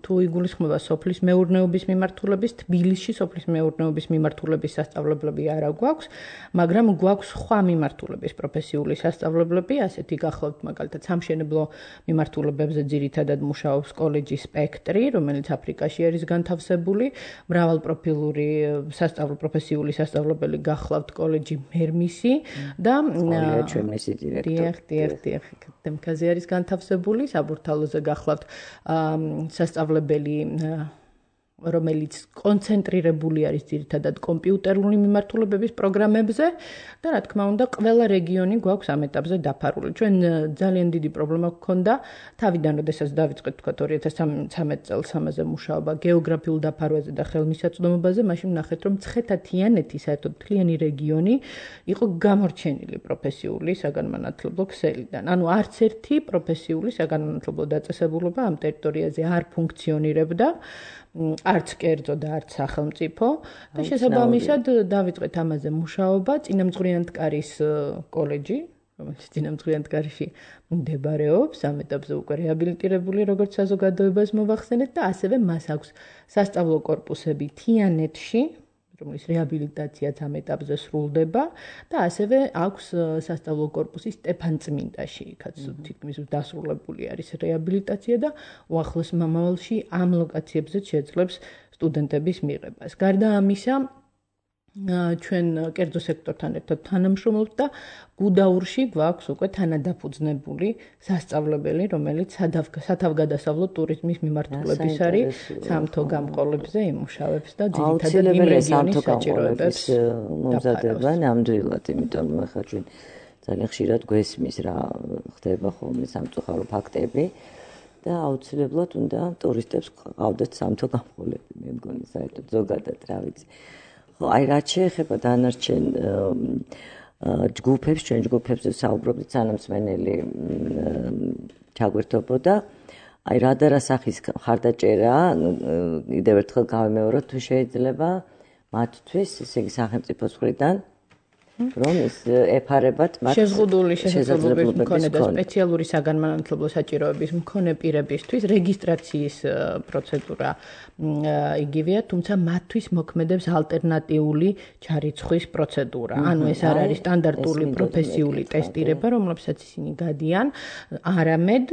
თუ იგულისხმება სოფლის მეურნეობის მიმართულების, თბილისში სოფლის მეურნეობის მიმართულების სასწავლებლები არა გვაქვს, მაგრამ გვაქვს სხვა მიმართულების პროფესიული სასწავლებლები, ასეთი გახლავთ მაგალითად სამშენებლო მიმართულებებზე ძირითადად მუშაობს კოლეჯი სპექტრი, რომელიც აფრიკაში არის განთავსებული, მრავალპროფილური სასწავლო პროფესიული სასწავლებელი გახლავთ კოლეჯი მერმისი და ჩვენისი დირექტორი. დიახ, დიახ, დიახ, თემკაზე არის განთავსებული, საბურთალოზე გახლავთ სასწავლებელი რომელიც კონცენტრირებული არის ძირითადად კომპიუტერული მიმართულებების პროგრამებზე და რა თქმა უნდა ყველა რეგიონი გვაქვს ამ ეტაპზე დაფარული. ჩვენ ძალიან დიდი პრობლემა გქონდა თავიდან, როდესაც დავიწყეთ თქვა ორი ათას ცხრამეტ წელს ამაზე მუშაობა გეოგრაფიულ დაფარვაზე და ხელმისაწვდომობაზე, მაშინ ვნახეთ, რომ მცხეთა-თიანეთი საერთოდ მთლიანი რეგიონი იყო გამორჩენილი პროფესიული საგანმანათლებლო ქსელიდან. ანუ არც ერთი პროფესიული საგანმანათლებლო დაწესებულება ამ ტერიტორიაზე არ ფუნქციონირებდა. არც კერძო და არც სახელმწიფო და შესაბამისად დავიწყეთ ამაზე მუშაობა. წინამძღვრიანთკარის კოლეჯი, რომელიც წინამძღვრიანთკარში მდებარეობს, ამ ეტაპზე უკვე რეაბილიტირებული, როგორც საზოგადოებას მოვახსენეთ და ასევე მას აქვს სასწავლო კორპუსები თიანეთში, რომლის რეაბილიტაციაც ამ ეტაპზე სრულდება და ასევე აქვს სასწავლო კორპუსი სტეფანწმინდაში, იქაც თითქმის დასრულებული არის რეაბილიტაცია და უახლოს მომავალში ამ ლოკაციებზე შეძლებს სტუდენტების მიღებას. გარდა ამისა, ჩვენ კერძო სექტორთან ერთად თანამშრომლობთ და გუდაურში გვაქვს უკვე თანადაფუძნებული სასწავლებელი, რომელიც სათავგადასავლო ტურიზმის მიმართულების არის, სამთო გამყოლებზე იმუშავებს და ძირითადად იმ რეგიონის საჭიროებებს მომზადება ნამდვილად, იმიტომ რომ ახლა ჩვენ ძალიან ხშირად გვესმის რა ხდება ხოლმე სამწუხარო ფაქტები და აუცილებლად უნდა ტურისტებს ყავდეთ სამთო გამყოლები, მე მგონი საერთოდ ზოგადად რა ვიცი. ხო, აი რაც შეეხება დანარჩენ ჯგუფებს, ჩვენ ჯგუფებზე საუბრობთ, სანამსმენელი ჩაგვერთობოდა. აი რა და რა სახის ხარდაჭერა, კიდევ ერთხელ გავიმეოროთ, თუ შეიძლება მათთვის, ესე იგი სახელმწიფოს მხრიდან რომ ეს ეფარებათ მათ შეზღუდული შესაძლებლობის მქონე და სპეციალური საგანმანათლებლო საჭიროების მქონე პირებისთვის რეგისტრაციის პროცედურა იგივეა, თუმცა მათთვის მოქმედებს ალტერნატიული ჩარიცხვის პროცედურა. ანუ ეს არ არის სტანდარტული პროფესიული ტესტირება, რომლებსაც ისინი გადიან, არამედ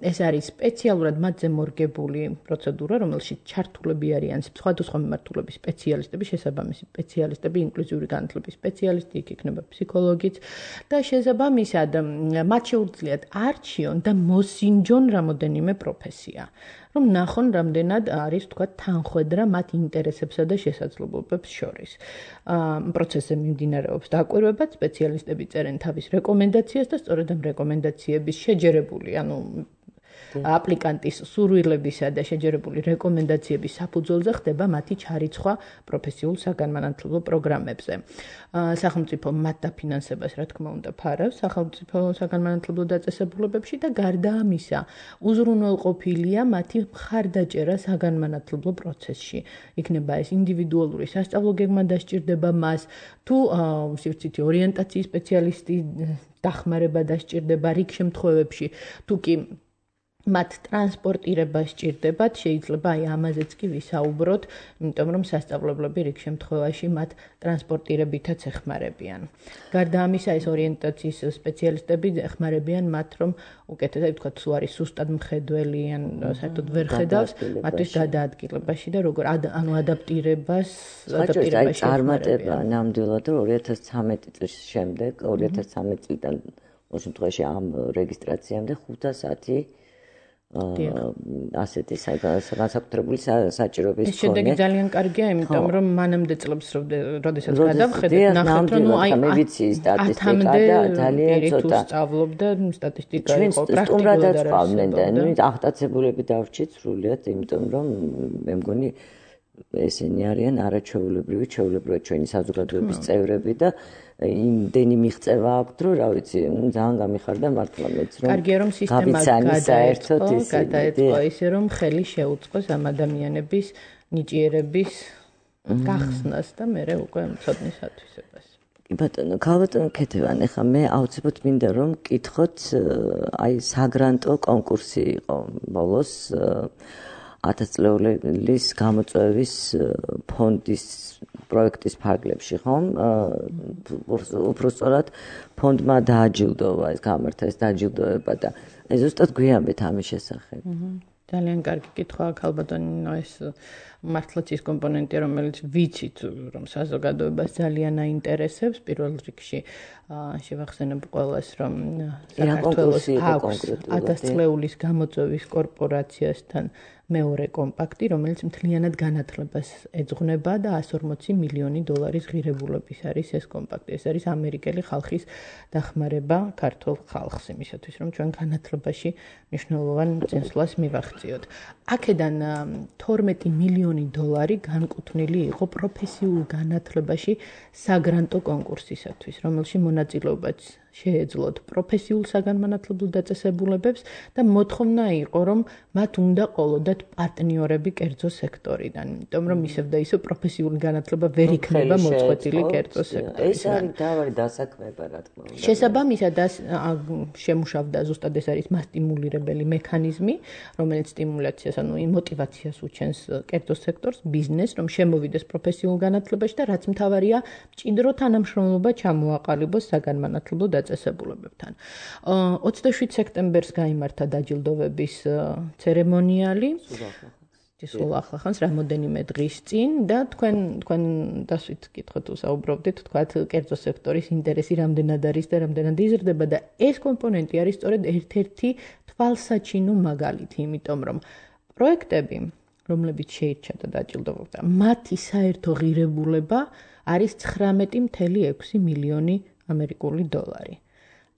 ეს არის სპეციალურად მათზე მორგებული პროცედურა, რომელშიც ჩართულები არიან სხვადასხვა მიმართულების სპეციალისტები, შესაბამისი სპეციალისტები, ინკლუზიური განათლების სპეციალისტები სპეციალისტი, იქ იქნება ფსიქოლოგიც და შესაბამისად მათ შეუძლიათ არჩიონ და მოსინჯონ რამოდენიმე პროფესია. რომ ნახონ რამდენად არის თქვა თანხვედრა მათ ინტერესებსა და შესაძლებლობებს შორის. პროცესზე მიმდინარეობს დაკვირვება, სპეციალისტები წერენ თავის რეკომენდაციას და სწორედ ამ რეკომენდაციების შეჯერებული, ანუ აპლიკანტის სურვილებისა და შეჯერებული რეკომენდაციების საფუძველზე ხდება მათი ჩარიცხვა პროფესიულ საგანმანათლებლო პროგრამებზე. სახელმწიფო მათ დაფინანსებას, რა თქმა უნდა, ფარავს სახელმწიფო საგანმანათლებლო დაწესებულებებში და გარდა ამისა, უზრუნველყოფილია მათი მხარდაჭერა საგანმანათლებლო პროცესში. იქნება ეს ინდივიდუალური სასწავლო გეგმა დასჭირდება მას, თუ სივრცითი ორიენტაციის სპეციალისტი დახმარება დასჭირდება რიგ შემთხვევებში, თუ კი მათ ტრანსპორტირება სჭირდებათ, შეიძლება აი ამაზეც კი ვისაუბროთ, იმიტომ რომ სასწავლებლები რიგ შემთხვევაში მათ ტრანსპორტირებითაც ეხმარებიან. გარდა ამისა, ეს ორიენტაციის სპეციალისტები ეხმარებიან მათ, რომ უკეთესად ვთქვა, თუ არის სუსტად მხედველი ან საერთოდ ვერ ხედავს, მათთვის გადაადგილებაში და როგორ ანუ ადაპტირებას, ადაპტირებაში წარმატება ნამდვილად რომ ორი ათას ცხრამეტი წლის შემდეგ, ორი ათას ცხრამეტი წლიდან ყოველ შემთხვევაში ამ რეგისტრაციამდე ხუთასათი ასეთი განსაკუთრებული საჭიროების ეს შედეგი ძალიან კარგია, იმიტომ რომ მანამდე წლებს როდესაც გადავხედეთ, ნახეთ რომ ნუ აი მე ვიცი სტატისტიკა და ძალიან ცოტა სწავლობდა სტატისტიკა იყო პრაქტიკულად წავდნენ და ნუ აღტაცებულები დავრჩით სრულიად, იმიტომ რომ მე მგონი ესენი არიან არაჩვეულებრივი, ჩვეულებრივად ჩვენი საზოგადოების წევრები და იმდენი მიღწევა აქვთ, რომ რა ვიცი, ძალიან გამიხარდა მართლა მეც რომ კარგია რომ სისტემა გადაერთო, გადაეწყო ისე რომ ხელი შეუწყოს ამ ადამიანების ნიჭიერების გახსნას და მერე უკვე ცოდნის ათვისებას. ბატონო, ქალბატონო ქეთევან, ეხლა მე აუცილებლად მინდა რომ მკითხოთ, აი საგრანტო კონკურსი იყო ბოლოს ათასწლეულის გამოწვევის ფონდის პროექტის ფარგლებში, ხომ? უფრო სწორად ფონდმა დააჯილდოვა ეს გამართა ეს დაჯილდოება და ეს ზუსტად გვიამბეთ ამის შესახებ. ძალიან კარგი კითხვაა, ქალბატონო, ეს მართლაც ის კომპონენტია, რომელიც ვიცით, რომ საზოგადოებას ძალიან აინტერესებს. პირველ რიგში შევახსენებ ყველას, რომ საქართველოს აქვს ათასწლეულის გამოწვევის კორპორაციასთან მეორე კომპაქტი, რომელიც მთლიანად განათლებას ეძღვნება და εκατს ორმოცი მილიონი დოლარის ღირებულების არის ეს კომპაქტი. ეს არის ამერიკელი ხალხის დახმარება ქართულ ხალხს იმისათვის, რომ ჩვენ განათლებაში მნიშვნელოვან წინსვლას მივახციოთ. აქედან თორმეტი მილიონი დოლარი განკუთვნილი იყო პროფესიულ განათლებაში საგრანტო კონკურსისათვის, რომელში მონაწილეობაც შეეძლოთ პროფესიულ საგანმანათლებლო დაწესებულებებს და მოთხოვნა იყო, რომ მათ უნდა ყოლოდათ პარტნიორები კერძო სექტორიდან, იმიტომ რომ ისევ და ისევ პროფესიული განათლება ვერ იქნება მოწყვეტილი კერძო სექტორიდან. ეს არის თავი დასაქმება, რა თქმა უნდა. შესაბამისად შემუშავდა ზუსტად ეს არის მასტიმულირებელი მექანიზმი, რომელიც სტიმულაციას, ანუ მოტივაციას უჩენს კერძო სექტორს, ბიზნესს, რომ შემოვიდეს პროფესიულ განათლებაში და რაც მთავარია, მჭიდრო თანამშრომლობა ჩამოაყალიბოს საგანმანათლებლო დაწესებულებებთან. ოცდაშვიდ სექტემბერს გაიმართა დაჯილდოვების ცერემონიალი. სულ ახლა ხანს რამოდენიმე დღის წინ და თქვენ თქვენ დასვით კითხოთ უსაუბრობდით, თქვათ კერძო სექტორის ინტერესი რამდენად არის და რამდენად იზრდება და ეს კომპონენტი არის სწორედ ერთ-ერთი თვალსაჩინო მაგალითი, იმიტომ რომ პროექტები, რომლებიც შეირჩა და დაჯილდოვდა, მათი საერთო ღირებულება არის ცხრამეტი წუთი ექვსი მილიონი ამერიკული დოლარი.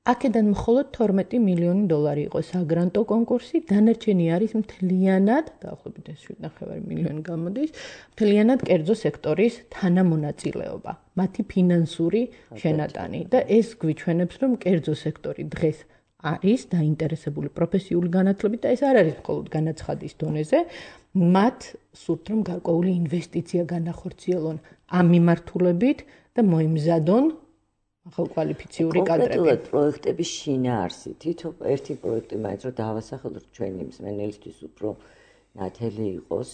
აქედან მხოლოდ თორმეტი მილიონი დოლარი იყო საგრანტო კონკურსი, დანარჩენი არის მთლიანად, დაახლოებით შვიდ ნახევარი მილიონი გამოდის, მთლიანად კერძო სექტორის თანამონაწილეობა, მათი ფინანსური შენატანი და ეს გვიჩვენებს, რომ კერძო სექტორი დღეს არის დაინტერესებული პროფესიული განათლებით და ეს არ არის მხოლოდ განაცხადის დონეზე, მათ სურთ რომ გარკვეული ინვესტიცია განახორციელონ ამ მიმართულებით და მოიმზადონ ახალკვალიფიციური კადრები. კონკრეტულად პროექტების შინაარსი, თითო ერთი პროექტი მაინც რომ დავასახელოთ ჩვენი მსმენელისთვის უფრო ნათელი იყოს,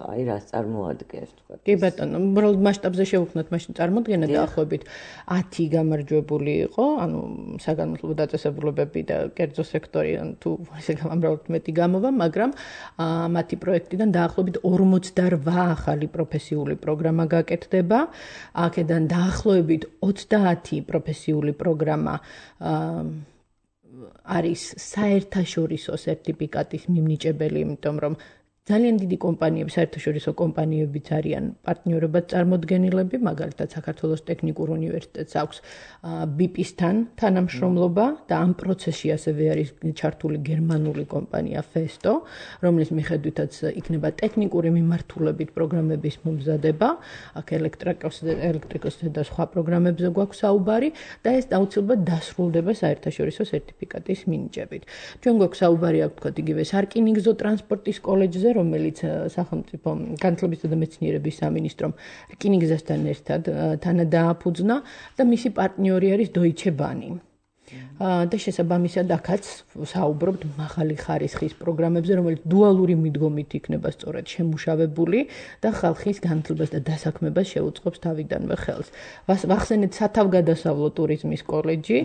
აი რას წარმოადგენს თქვა. კი ბატონო, უბრალოდ მასშტაბზე შევუხმოთ მაშინ წარმოდგენა დაახლოებით ათი გამარჯვებული იყო, ანუ საგანმანათლებლო დაწესებულებები და კერძო სექტორი, ან თუ ესე გამამრავლოთ მეტი გამოვა, მაგრამ მათი პროექტიდან დაახლოებით ორმოცდარვა ახალი პროფესიული პროგრამა გაკეთდება. აქედან დაახლოებით ოცდაათი პროფესიული პროგრამა არის საერთაშორისო სერტიფიკატის მიმნიჭებელი, იმიტომ რომ ძალიან დიდი კომპანიები, საერთაშორისო კომპანიებიც არიან პარტნიორებად წარმოდგენილები, მაგალითად საქართველოს ტექნიკურ უნივერსიტეტს აქვს ბი პი-სთან თანამშრომლობა და ამ პროცესში ასევე არის ჩართული გერმანული კომპანია Festo, რომლის მიხედვითაც იქნება ტექნიკური მიმართულებით პროგრამების მომზადება, აქ ელექტრიკოსზე და სხვა პროგრამებზე გვაქვს საუბარი და ეს აუცილებლად დასრულდება საერთაშორისო სერტიფიკატის მინიჭებით. ჩვენ გვაქვს საუბარი, აქ თქვა იგივე სარკინიგზო ტრანსპორტის კოლეჯზე, რომელიც სახელმწიფო განათლებისა და მეცნიერების სამინისტრომ რკინიგზასთან ერთად თანადააფუძნა და მისი პარტნიორი არის Deutsche Bahn. და შესაბამისად აქაც საუბრობთ მაღალი ხარისხის პროგრამებზე, რომელიც დუალური მიდგომით იქნება სწორედ შემუშავებული და ხალხის განათლებას და დასაქმებას შეუწყობს თავიდანვე ხელს. ვახსენეთ სათავგადასავლო ტურიზმის კოლეჯი,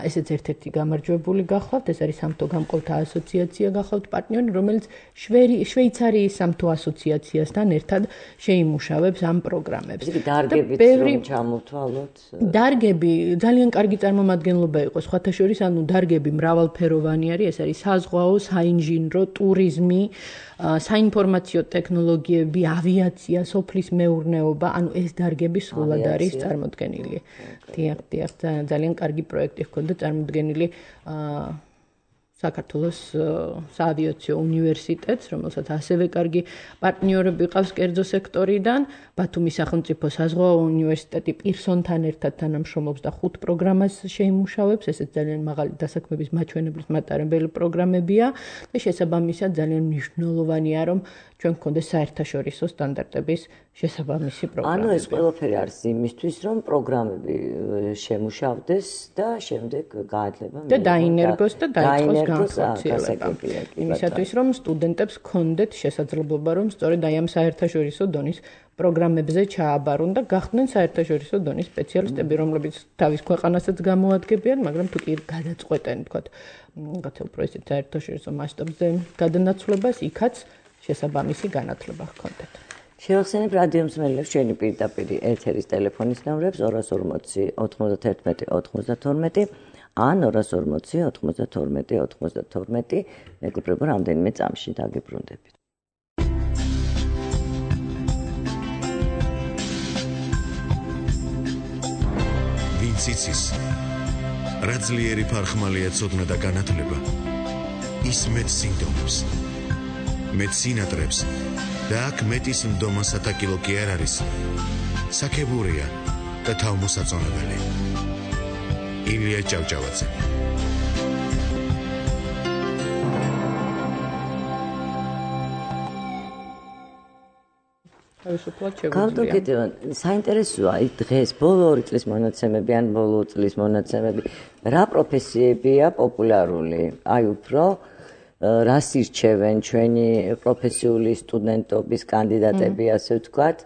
ესეც ერთ-ერთი გამარჯვებული გახლავთ, ეს არის სამთო გამყოფთა ასოციაცია გახლავთ პარტნიორი, რომელიც შვეიცარიის სამთო ასოციაციასთან ერთად შეიმუშავებს ამ პროგრამებს. დარგებით რომ ჩამოვთვალოთ. დარგები ძალიან კარგი წარმომადგენლობა იყო სხვათა შორის, ანუ დარგები მრავალფეროვანი არის, ეს არის საზღვაო, საინჟინრო, ტურიზმი, საინფორმაციო ტექნოლოგიები, ავიაცია, სოფლის მეურნეობა, ანუ ეს დარგები სრულად არის წარმოდგენილი. დიახ, დიახ, ძალიან კარგი პროექტი ჰქონდა წარმოდგენილი საქართველოს საავიაციო უნივერსიტეტს, რომელსაც ასევე კარგი პარტნიორები ყავს კერძო სექტორიდან, ბათუმის სახელმწიფო საზღვაო უნივერსიტეტი პირსონთან ერთად თანამშრომლობს და ხუთ პროგრამას შეიმუშავებს, ესეც ძალიან მაღალი დასაქმების მაჩვენებლის მატარებელი პროგრამებია და შესაბამისად ძალიან მნიშვნელოვანია, რომ ჩვენ გქონდეს საერთაშორისო სტანდარტების შესაბამისი პროგრამები. ანუ ეს ყველაფერი არის იმისთვის, რომ პროგრამები შემუშავდეს და შემდეგ გაათლება და დაინერგოს და დაიწყოს განხორციელება. იმისათვის, რომ სტუდენტებს გქონდეთ შესაძლებლობა, რომ სწორედ აი ამ საერთაშორისო დონის პროგრამებზე ჩააბარონ და გახდნენ საერთაშორისო დონის სპეციალისტები, რომლებიც თავის ქვეყანასაც გამოადგენენ, მაგრამ თუ კი გადაწყვეტენ, თქვათ, რაღაცა უფრო ისეთ საერთაშორისო მასშტაბზე გადანაცვლებას, იქაც შესაბამისი განათლება ჰქონდეთ. შევახსენებ რადიო მსმენელებს ჩვენი პირდაპირ ეთერის ტელეფონის ნომრებს ორას ორმოცი ოთხმოცდათერთმეტი ოცდათორმეტი ან ორას ორმოცი ოთხმოცდათორმეტი ოცდათორმეტი მეგობრებო, რამდენიმე წამში დაგიბრუნდებით. ვინც იცის, რა ძლიერი ფარხმალია ცოდნა და განათლება, ის მეტ სინდომებს, მეტ სინატრებს და აქ მეტის მდომა სათაკილო კი არ არის, საქებურია და თავმოსაწონებელი. ილია ჭავჭავაძე. გავდოგეთება, საინტერესოა დღეს ბოლო ორი წლის მონაცემები ან ბოლო წლის მონაცემები, რა პროფესიებია პოპულარული? აი უფრო რას ირჩევენ ჩვენი პროფესიული სტუდენტობის კანდიდატები, ასე ვთქვათ,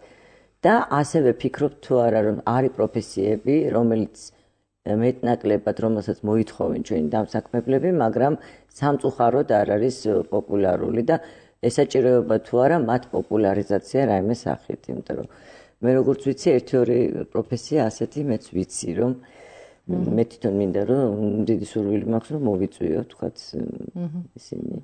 და ასევე ფიქრობთ თუ არა, რომ არის პროფესიები, რომელიც მეტნაკლებად, რომელსაც მოითხოვენ ჩვენი დამსაქმებლები, მაგრამ სამწუხაროდ არ არის პოპულარული და ესაჭიროება თუ არა მათ პოპულარიზაცია რაიმე სახით, იმიტომ რომ მე როგორც ვიცი, ერთი-ორი პროფესია ასეთი მეც ვიცი, რომ მე თვითონ მინდა რომ დიდი სურვილი მაქვს რომ მოვიწვიო, თქვათ, ისინი.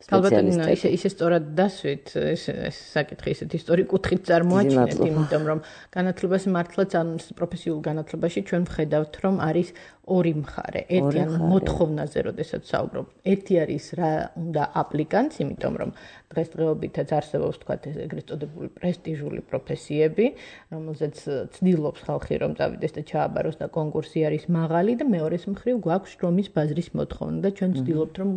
ალბათ ისე ისე სწორად დასვით, ეს ეს საკითხი ისეთ ისტორიკ კუთხით წარმოაჩინეთ, იმიტომ რომ განათლებას მართლაც ამ პროფესიულ განათლებაში ჩვენ ვხედავთ, რომ არის ორი მხარე. ერთი ან მოთხოვნაზე, როდესაც საუბრობ. ერთი არის რა უნდა აპლიკანტს, იმიტომ რომ დღესდღეობითაც არსებობს, თქვათ, ეგრეთ წოდებული პრესტიჟული პროფესიები, რომელზეც ცდილობს ხალხი რომ წავიდეს და ჩააბაროს და კონკურსი არის მაღალი და მეორეს მხრივ გვაქვს შრომის ბაზრის მოთხოვნა და ჩვენ ცდილობთ რომ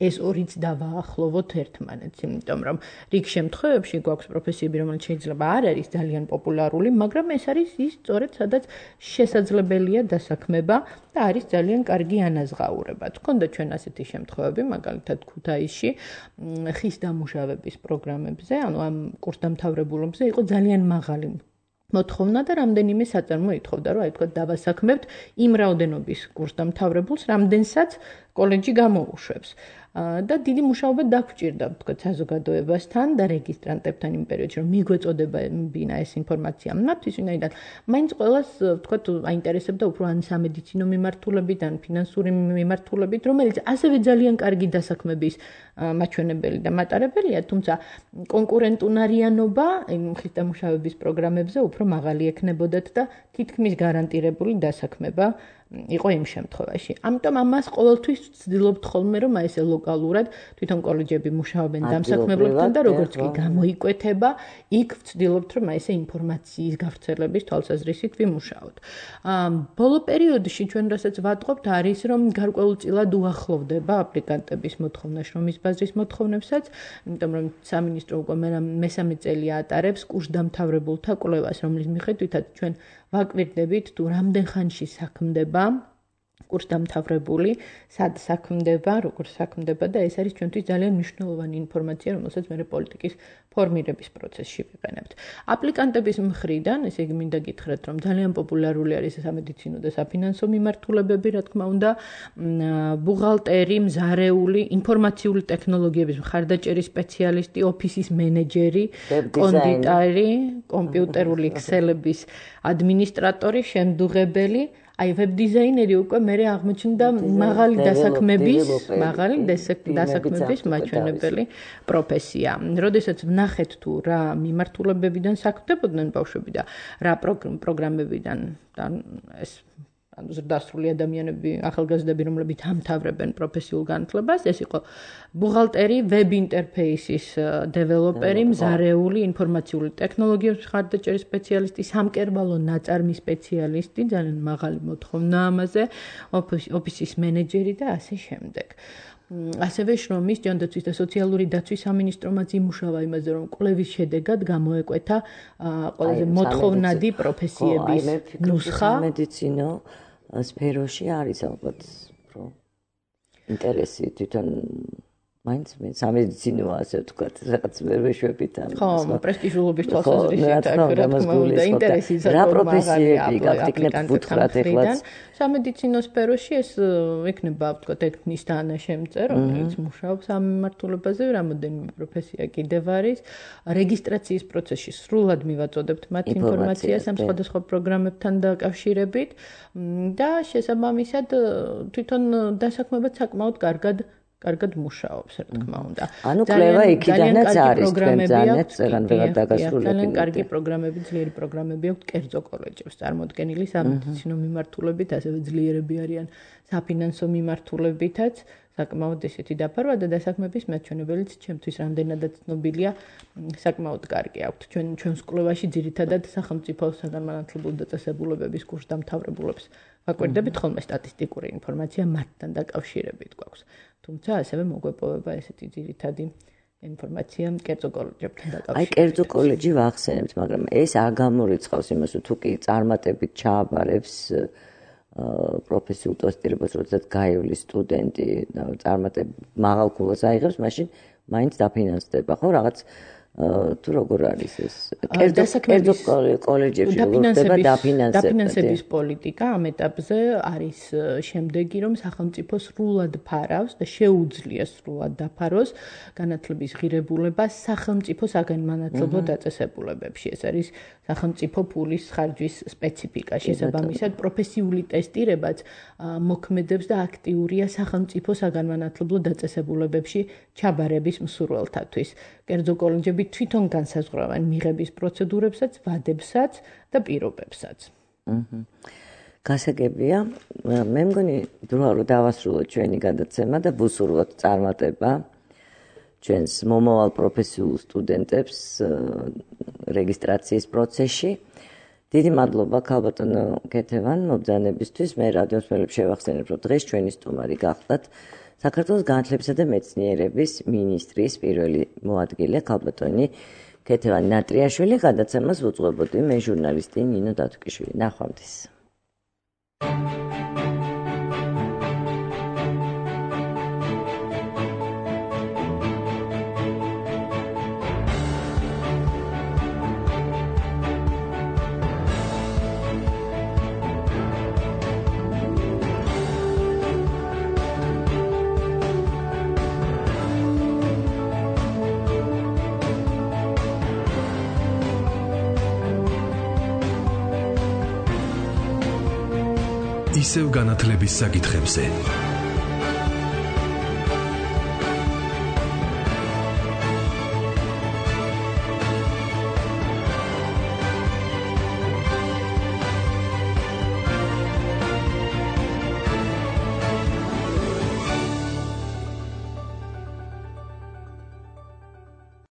ეს ორიც დავაახლოოთ. ვუახლოვოთ ერთმანეთს, იმიტომ რომ რიგ შემთხვევებში გვაქვს პროფესიები, რომელიც შეიძლება არ არის ძალიან პოპულარული, მაგრამ ეს არის ის სწორედ სადაც შესაძლებელია დასაქმება და არის ძალიან კარგი ანაზღაურება. თქონდა ჩვენ ასეთი შემთხვევები, მაგალითად ქუთაისში ხის დამუშავების პროგრამებზე, ანუ ამ კურსდამთავრებულებზე იყო ძალიან მაღალი მოთხოვნა და რამდენიმე საწარმო ითხოვდა, რომ აი თქვა დავასაქმებთ იმ რაოდენობის კურსდამთავრებულს, რამდენსაც კოლეჯი გამოუშვებს. და დიდი მუშაობა დაგვჭირდა, თქვა საზოგადოებასთან და რეგისტრანტებთან იმ პერიოდში, რომ მიგვეწოდებინა ეს ინფორმაცია მათთვის, ვინაიდან მაინც ყველას, თქვა, აინტერესებდა უფრო ან სამედიცინო მიმართულებით, ან ფინანსური მიმართულებით, რომელიც ასევე ძალიან კარგი დასაქმების მაჩვენებელი და მატარებელია, თუმცა კონკურენტუნარიანობა იმ ხის დამუშავების პროგრამებზე უფრო მაღალი ექნებოდათ და თითქმის გარანტირებული დასაქმება იყო იმ შემთხვევაში. ამიტომ ამას ყოველთვის ვცდილობთ ხოლმე, რომ აი ესე ლოკალურად თვითონ კოლეჯები მუშაობენ დამსაქმებლებთან და როგორც კი გამოიკვეთება, იქ ვცდილობთ, რომ აი ესე ინფორმაციის გავრცელების თვალსაზრისით ვიმუშაოთ. ბოლო პერიოდში ჩვენ რასაც ვატყობთ არის, რომ გარკვეულწილად უახლოვდება აპლიკანტების მოთხოვნა შრომის ბაზრის მოთხოვნებსაც, იმიტომ რომ სამინისტრო უკვე მესამე წელი ატარებს კურსდამთავრებულთა კვლევას, რომლის მიხედვითაც ჩვენ ვაკვირდებით თუ რამდენ ხანში საქმდება კურსდამთავრებული, სად საქმდება, როგორ საქმდება და ეს არის ჩვენთვის ძალიან მნიშვნელოვანი ინფორმაცია, რომელსაც მე პოლიტიკის ფორმირების პროცესში ვიყენებთ. აპლიკანტების მხრიდან, ესე იგი მინდა გითხრათ, რომ ძალიან პოპულარული არის სამედიცინო და საფინანსო მიმართულებები, რა თქმა უნდა, ბუღალტერი, მზარეული, ინფორმაციული ტექნოლოგიების მხარდაჭერის სპეციალისტი, ოფისის მენეჯერი, კონდიტერი, კომპიუტერული ექსელების ადმინისტრატორი, შემდუღებელი, აი ვებ დიზაინერი უკვე მერე აღმოჩნდა მაღალი დასაქმების, მაღალი დასაქმების მაჩვენებელი პროფესია. როდესაც ვნახეთ თუ რა მიმართულებებიდან საქმდებოდნენ ბავშვები და რა პროგრამებიდან და ეს ანუ ზრდასრული ადამიანები, ახალგაზრდები, რომლებიც ამთავრებენ პროფესიულ განათლებას, ეს იყო ბუღალტერი, ვებ ინტერფეისის დეველოპერი, მზარეული, ინფორმაციული ტექნოლოგიების მხარდაჭერის სპეციალისტი, სამკერვალო ნაწარმის სპეციალისტი, ძალიან მაღალი მოთხოვნა ამაზე, ოფისის მენეჯერი და ასე შემდეგ. ასევე შრომის, ჯანდაცვის და სოციალური დაცვის სამინისტრომაც იმუშავა იმაზე, რომ კვლევის შედეგად გამოეკვეთა ყველაზე მოთხოვნადი პროფესიების ნუსხა. სამედიცინო სფეროში არის ალბათ უფრო ინტერესი თვითონ მაინც მე სამედიცინოა ასე ვთქვათ, რაღაც ვერ ვეშვებით ამ. ხო, პრესტიჟულობის თვალსაზრისით რა თქმა უნდა, ინტერესი რა პროფესიები გაგტიკნებთ ვუთხრათ ეხლაც. სამედიცინო სფეროში ეს იქნება, ვთქვათ, ექნის თანაშემწე, რომელიც მუშაობს ამ მიმართულებაზე, რამოდენიმე პროფესია კიდევ არის. რეგისტრაციის პროცესში სრულად მივაწოდებთ მათ ინფორმაციას ამ სხვადასხვა პროგრამებთან დაკავშირებით და შესაბამისად თვითონ დასაქმებაც საკმაოდ კარგად კარგად მუშაობს, რა თქმა უნდა. ანუ კვლევა იქიდანაც არის, ძალიან ძალიან დაგასრულებელი. ძალიან კარგი პროგრამები, ძლიერი პროგრამები აქვს კერძო კოლეჯებს წარმოდგენილი სამედიცინო მიმართულებით, ასევე ძლიერები არიან საფინანსო მიმართულებითაც, საკმაოდ ესეთი დაფარვა და დასაქმების მაჩვენებელიც ჩემთვის რამდენადაც ცნობილია, საკმაოდ კარგი აქვს. ჩვენ ჩვენს კვლევაში ძირითადად სახელმწიფო საგანმანათლებლო დაწესებულებების კურსდამთავრებულებს ვაკვირდებით ხოლმე სტატისტიკური ინფორმაცია მათთან დაკავშირებით გვაქვს. თუმცა ასევე მოგვეპოვება ესეთი ძირითადი ინფორმაცია კერძო კოლეჯებთან დაკავშირებით. აი კერძო კოლეჯი ვახსენებთ, მაგრამ ეს არ გამორიცხავს იმას, თუ კი წარმატებით ჩააბარებს პროფესიულ ტესტირებას, როდესაც გაივლის სტუდენტი და წარმატებით მაღალ ქულას აიღებს, მაშინ მაინც დაფინანსდება, ხო, რაღაც თუ როგორ არის ეს კერძო კოლეჯებში როგორ ხდება დაფინანსება? დაფინანსების პოლიტიკა ამ ეტაპზე არის შემდეგი, რომ სახელმწიფო სრულად ფარავს და შეუძლია სრულად დაფაროს განათლების ღირებულებას სახელმწიფო საგანმანათლებლო დაწესებულებებში. ეს არის სახელმწიფო ფულის ხარჯვის სპეციფიკა. შესაბამისად, პროფესიული ტესტირებაც მოქმედებს და აქტიურია სახელმწიფო საგანმანათლებლო დაწესებულებებში ჩაბარების მსურველთათვის. კერძო კოლეჯები თვითონ განსაზღვრავენ მიღების პროცედურებსაც, ვადებსაც და პირობებსაც. აჰა. გასაგებია, მე მგონი დროა რომ დავასრულოთ ჩვენი გადაცემა და ვუსურვოთ წარმატება ჩვენს მომავალ პროფესიულ სტუდენტებს რეგისტრაციის პროცესში. დიდი მადლობა ქალბატონო კეთევან მობრძანებისთვის. მე რადიოს მელებს შევახსენებ, რომ დღეს ჩვენი სტუმარი გახლდათ საქართველოს განათლებისა და მეცნიერების მინისტრის პირველი მოადგილე ქალბატონი ქეთევან ნატრიაშვილი, გადაცემას უძღვებოდი მე ჟურნალისტი ნინო დათუკიშვილი. ნახვამდის. ისევ განათლების საკითხებზე.